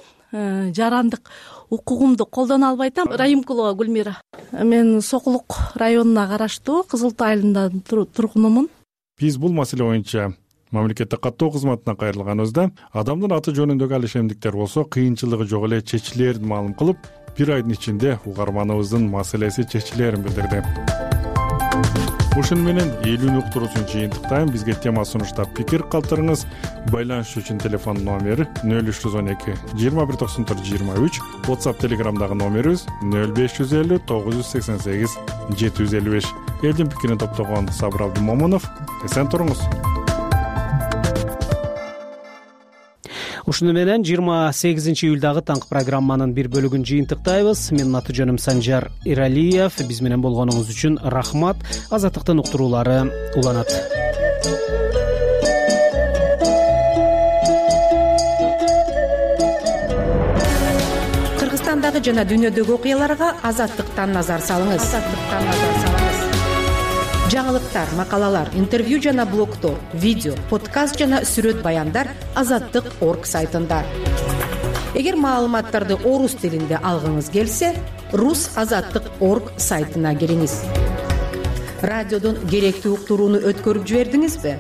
жарандык укугумду колдоно албай атам. Райымкулова Гүлмира. Мен Сокулук районуна караштуу Кызыл Тоо айылында тургунумун. Биз бул маселе боюнча мамлекеттик каттоо кызматына кайрылганыбызда адамдын аты жөнүндөгү ал ишемдиктер болсо кыйынчылыгы жок эле чечилерин маалым кылып, бир айдын ичинде угарманыбыздын маселеси чечилерин билдирди. ушуну менен элүүнү уктуруусун жыйынтыктайм. Бизге тема сунуштап пикир калтырыңыз. Байланыш үчүн телефон номери 0312 2194 23, WhatsApp Telegramдагы номерибиз 0550 988 755. Элдин пикирин топтогон Сабыр Абдымомунов. Эсен туруңуз. Ушуну менен 28 июлдагы таңкы программанын бир бөлүгүн жыйынтыктайбыз. Менин аты жөнүм Санжар Иралиев. Биз менен болгонуңуз үчүн рахмат. Азаттыктын уктуруулары уланат. Кыргызстандагы жана дүйнөдөгү окуяларга Азаттыктан назар салыңыз. Жаңылыктар, макалалар, интервью жана блогдор, видео, подкаст жана сүрөт баяндар Азаттык.орг сайтында. Эгер маалыматтарды орус тилинде алгыңыз келсе, rusazаттык.орг сайтына кириңиз. Радиодон керектүү уктурууну өткөрүп жибердиңизби?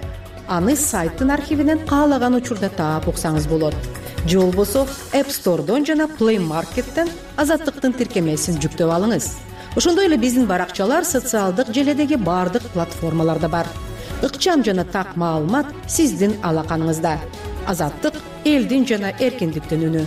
Аны сайттын архивинен каалаган учурда таап уксаңыз болот. Же болбосо App Store'дон жана Play Market'тен Азаттыктын тиркемесин жүктөп алыңыз. Ошондой эле биздин баракчалар социалдык желедеги бардык платформаларда бар. Ыкчам жана так маалымат сиздин алаканыңызда. Азаттык — элдин жана эркиндиктин үнү.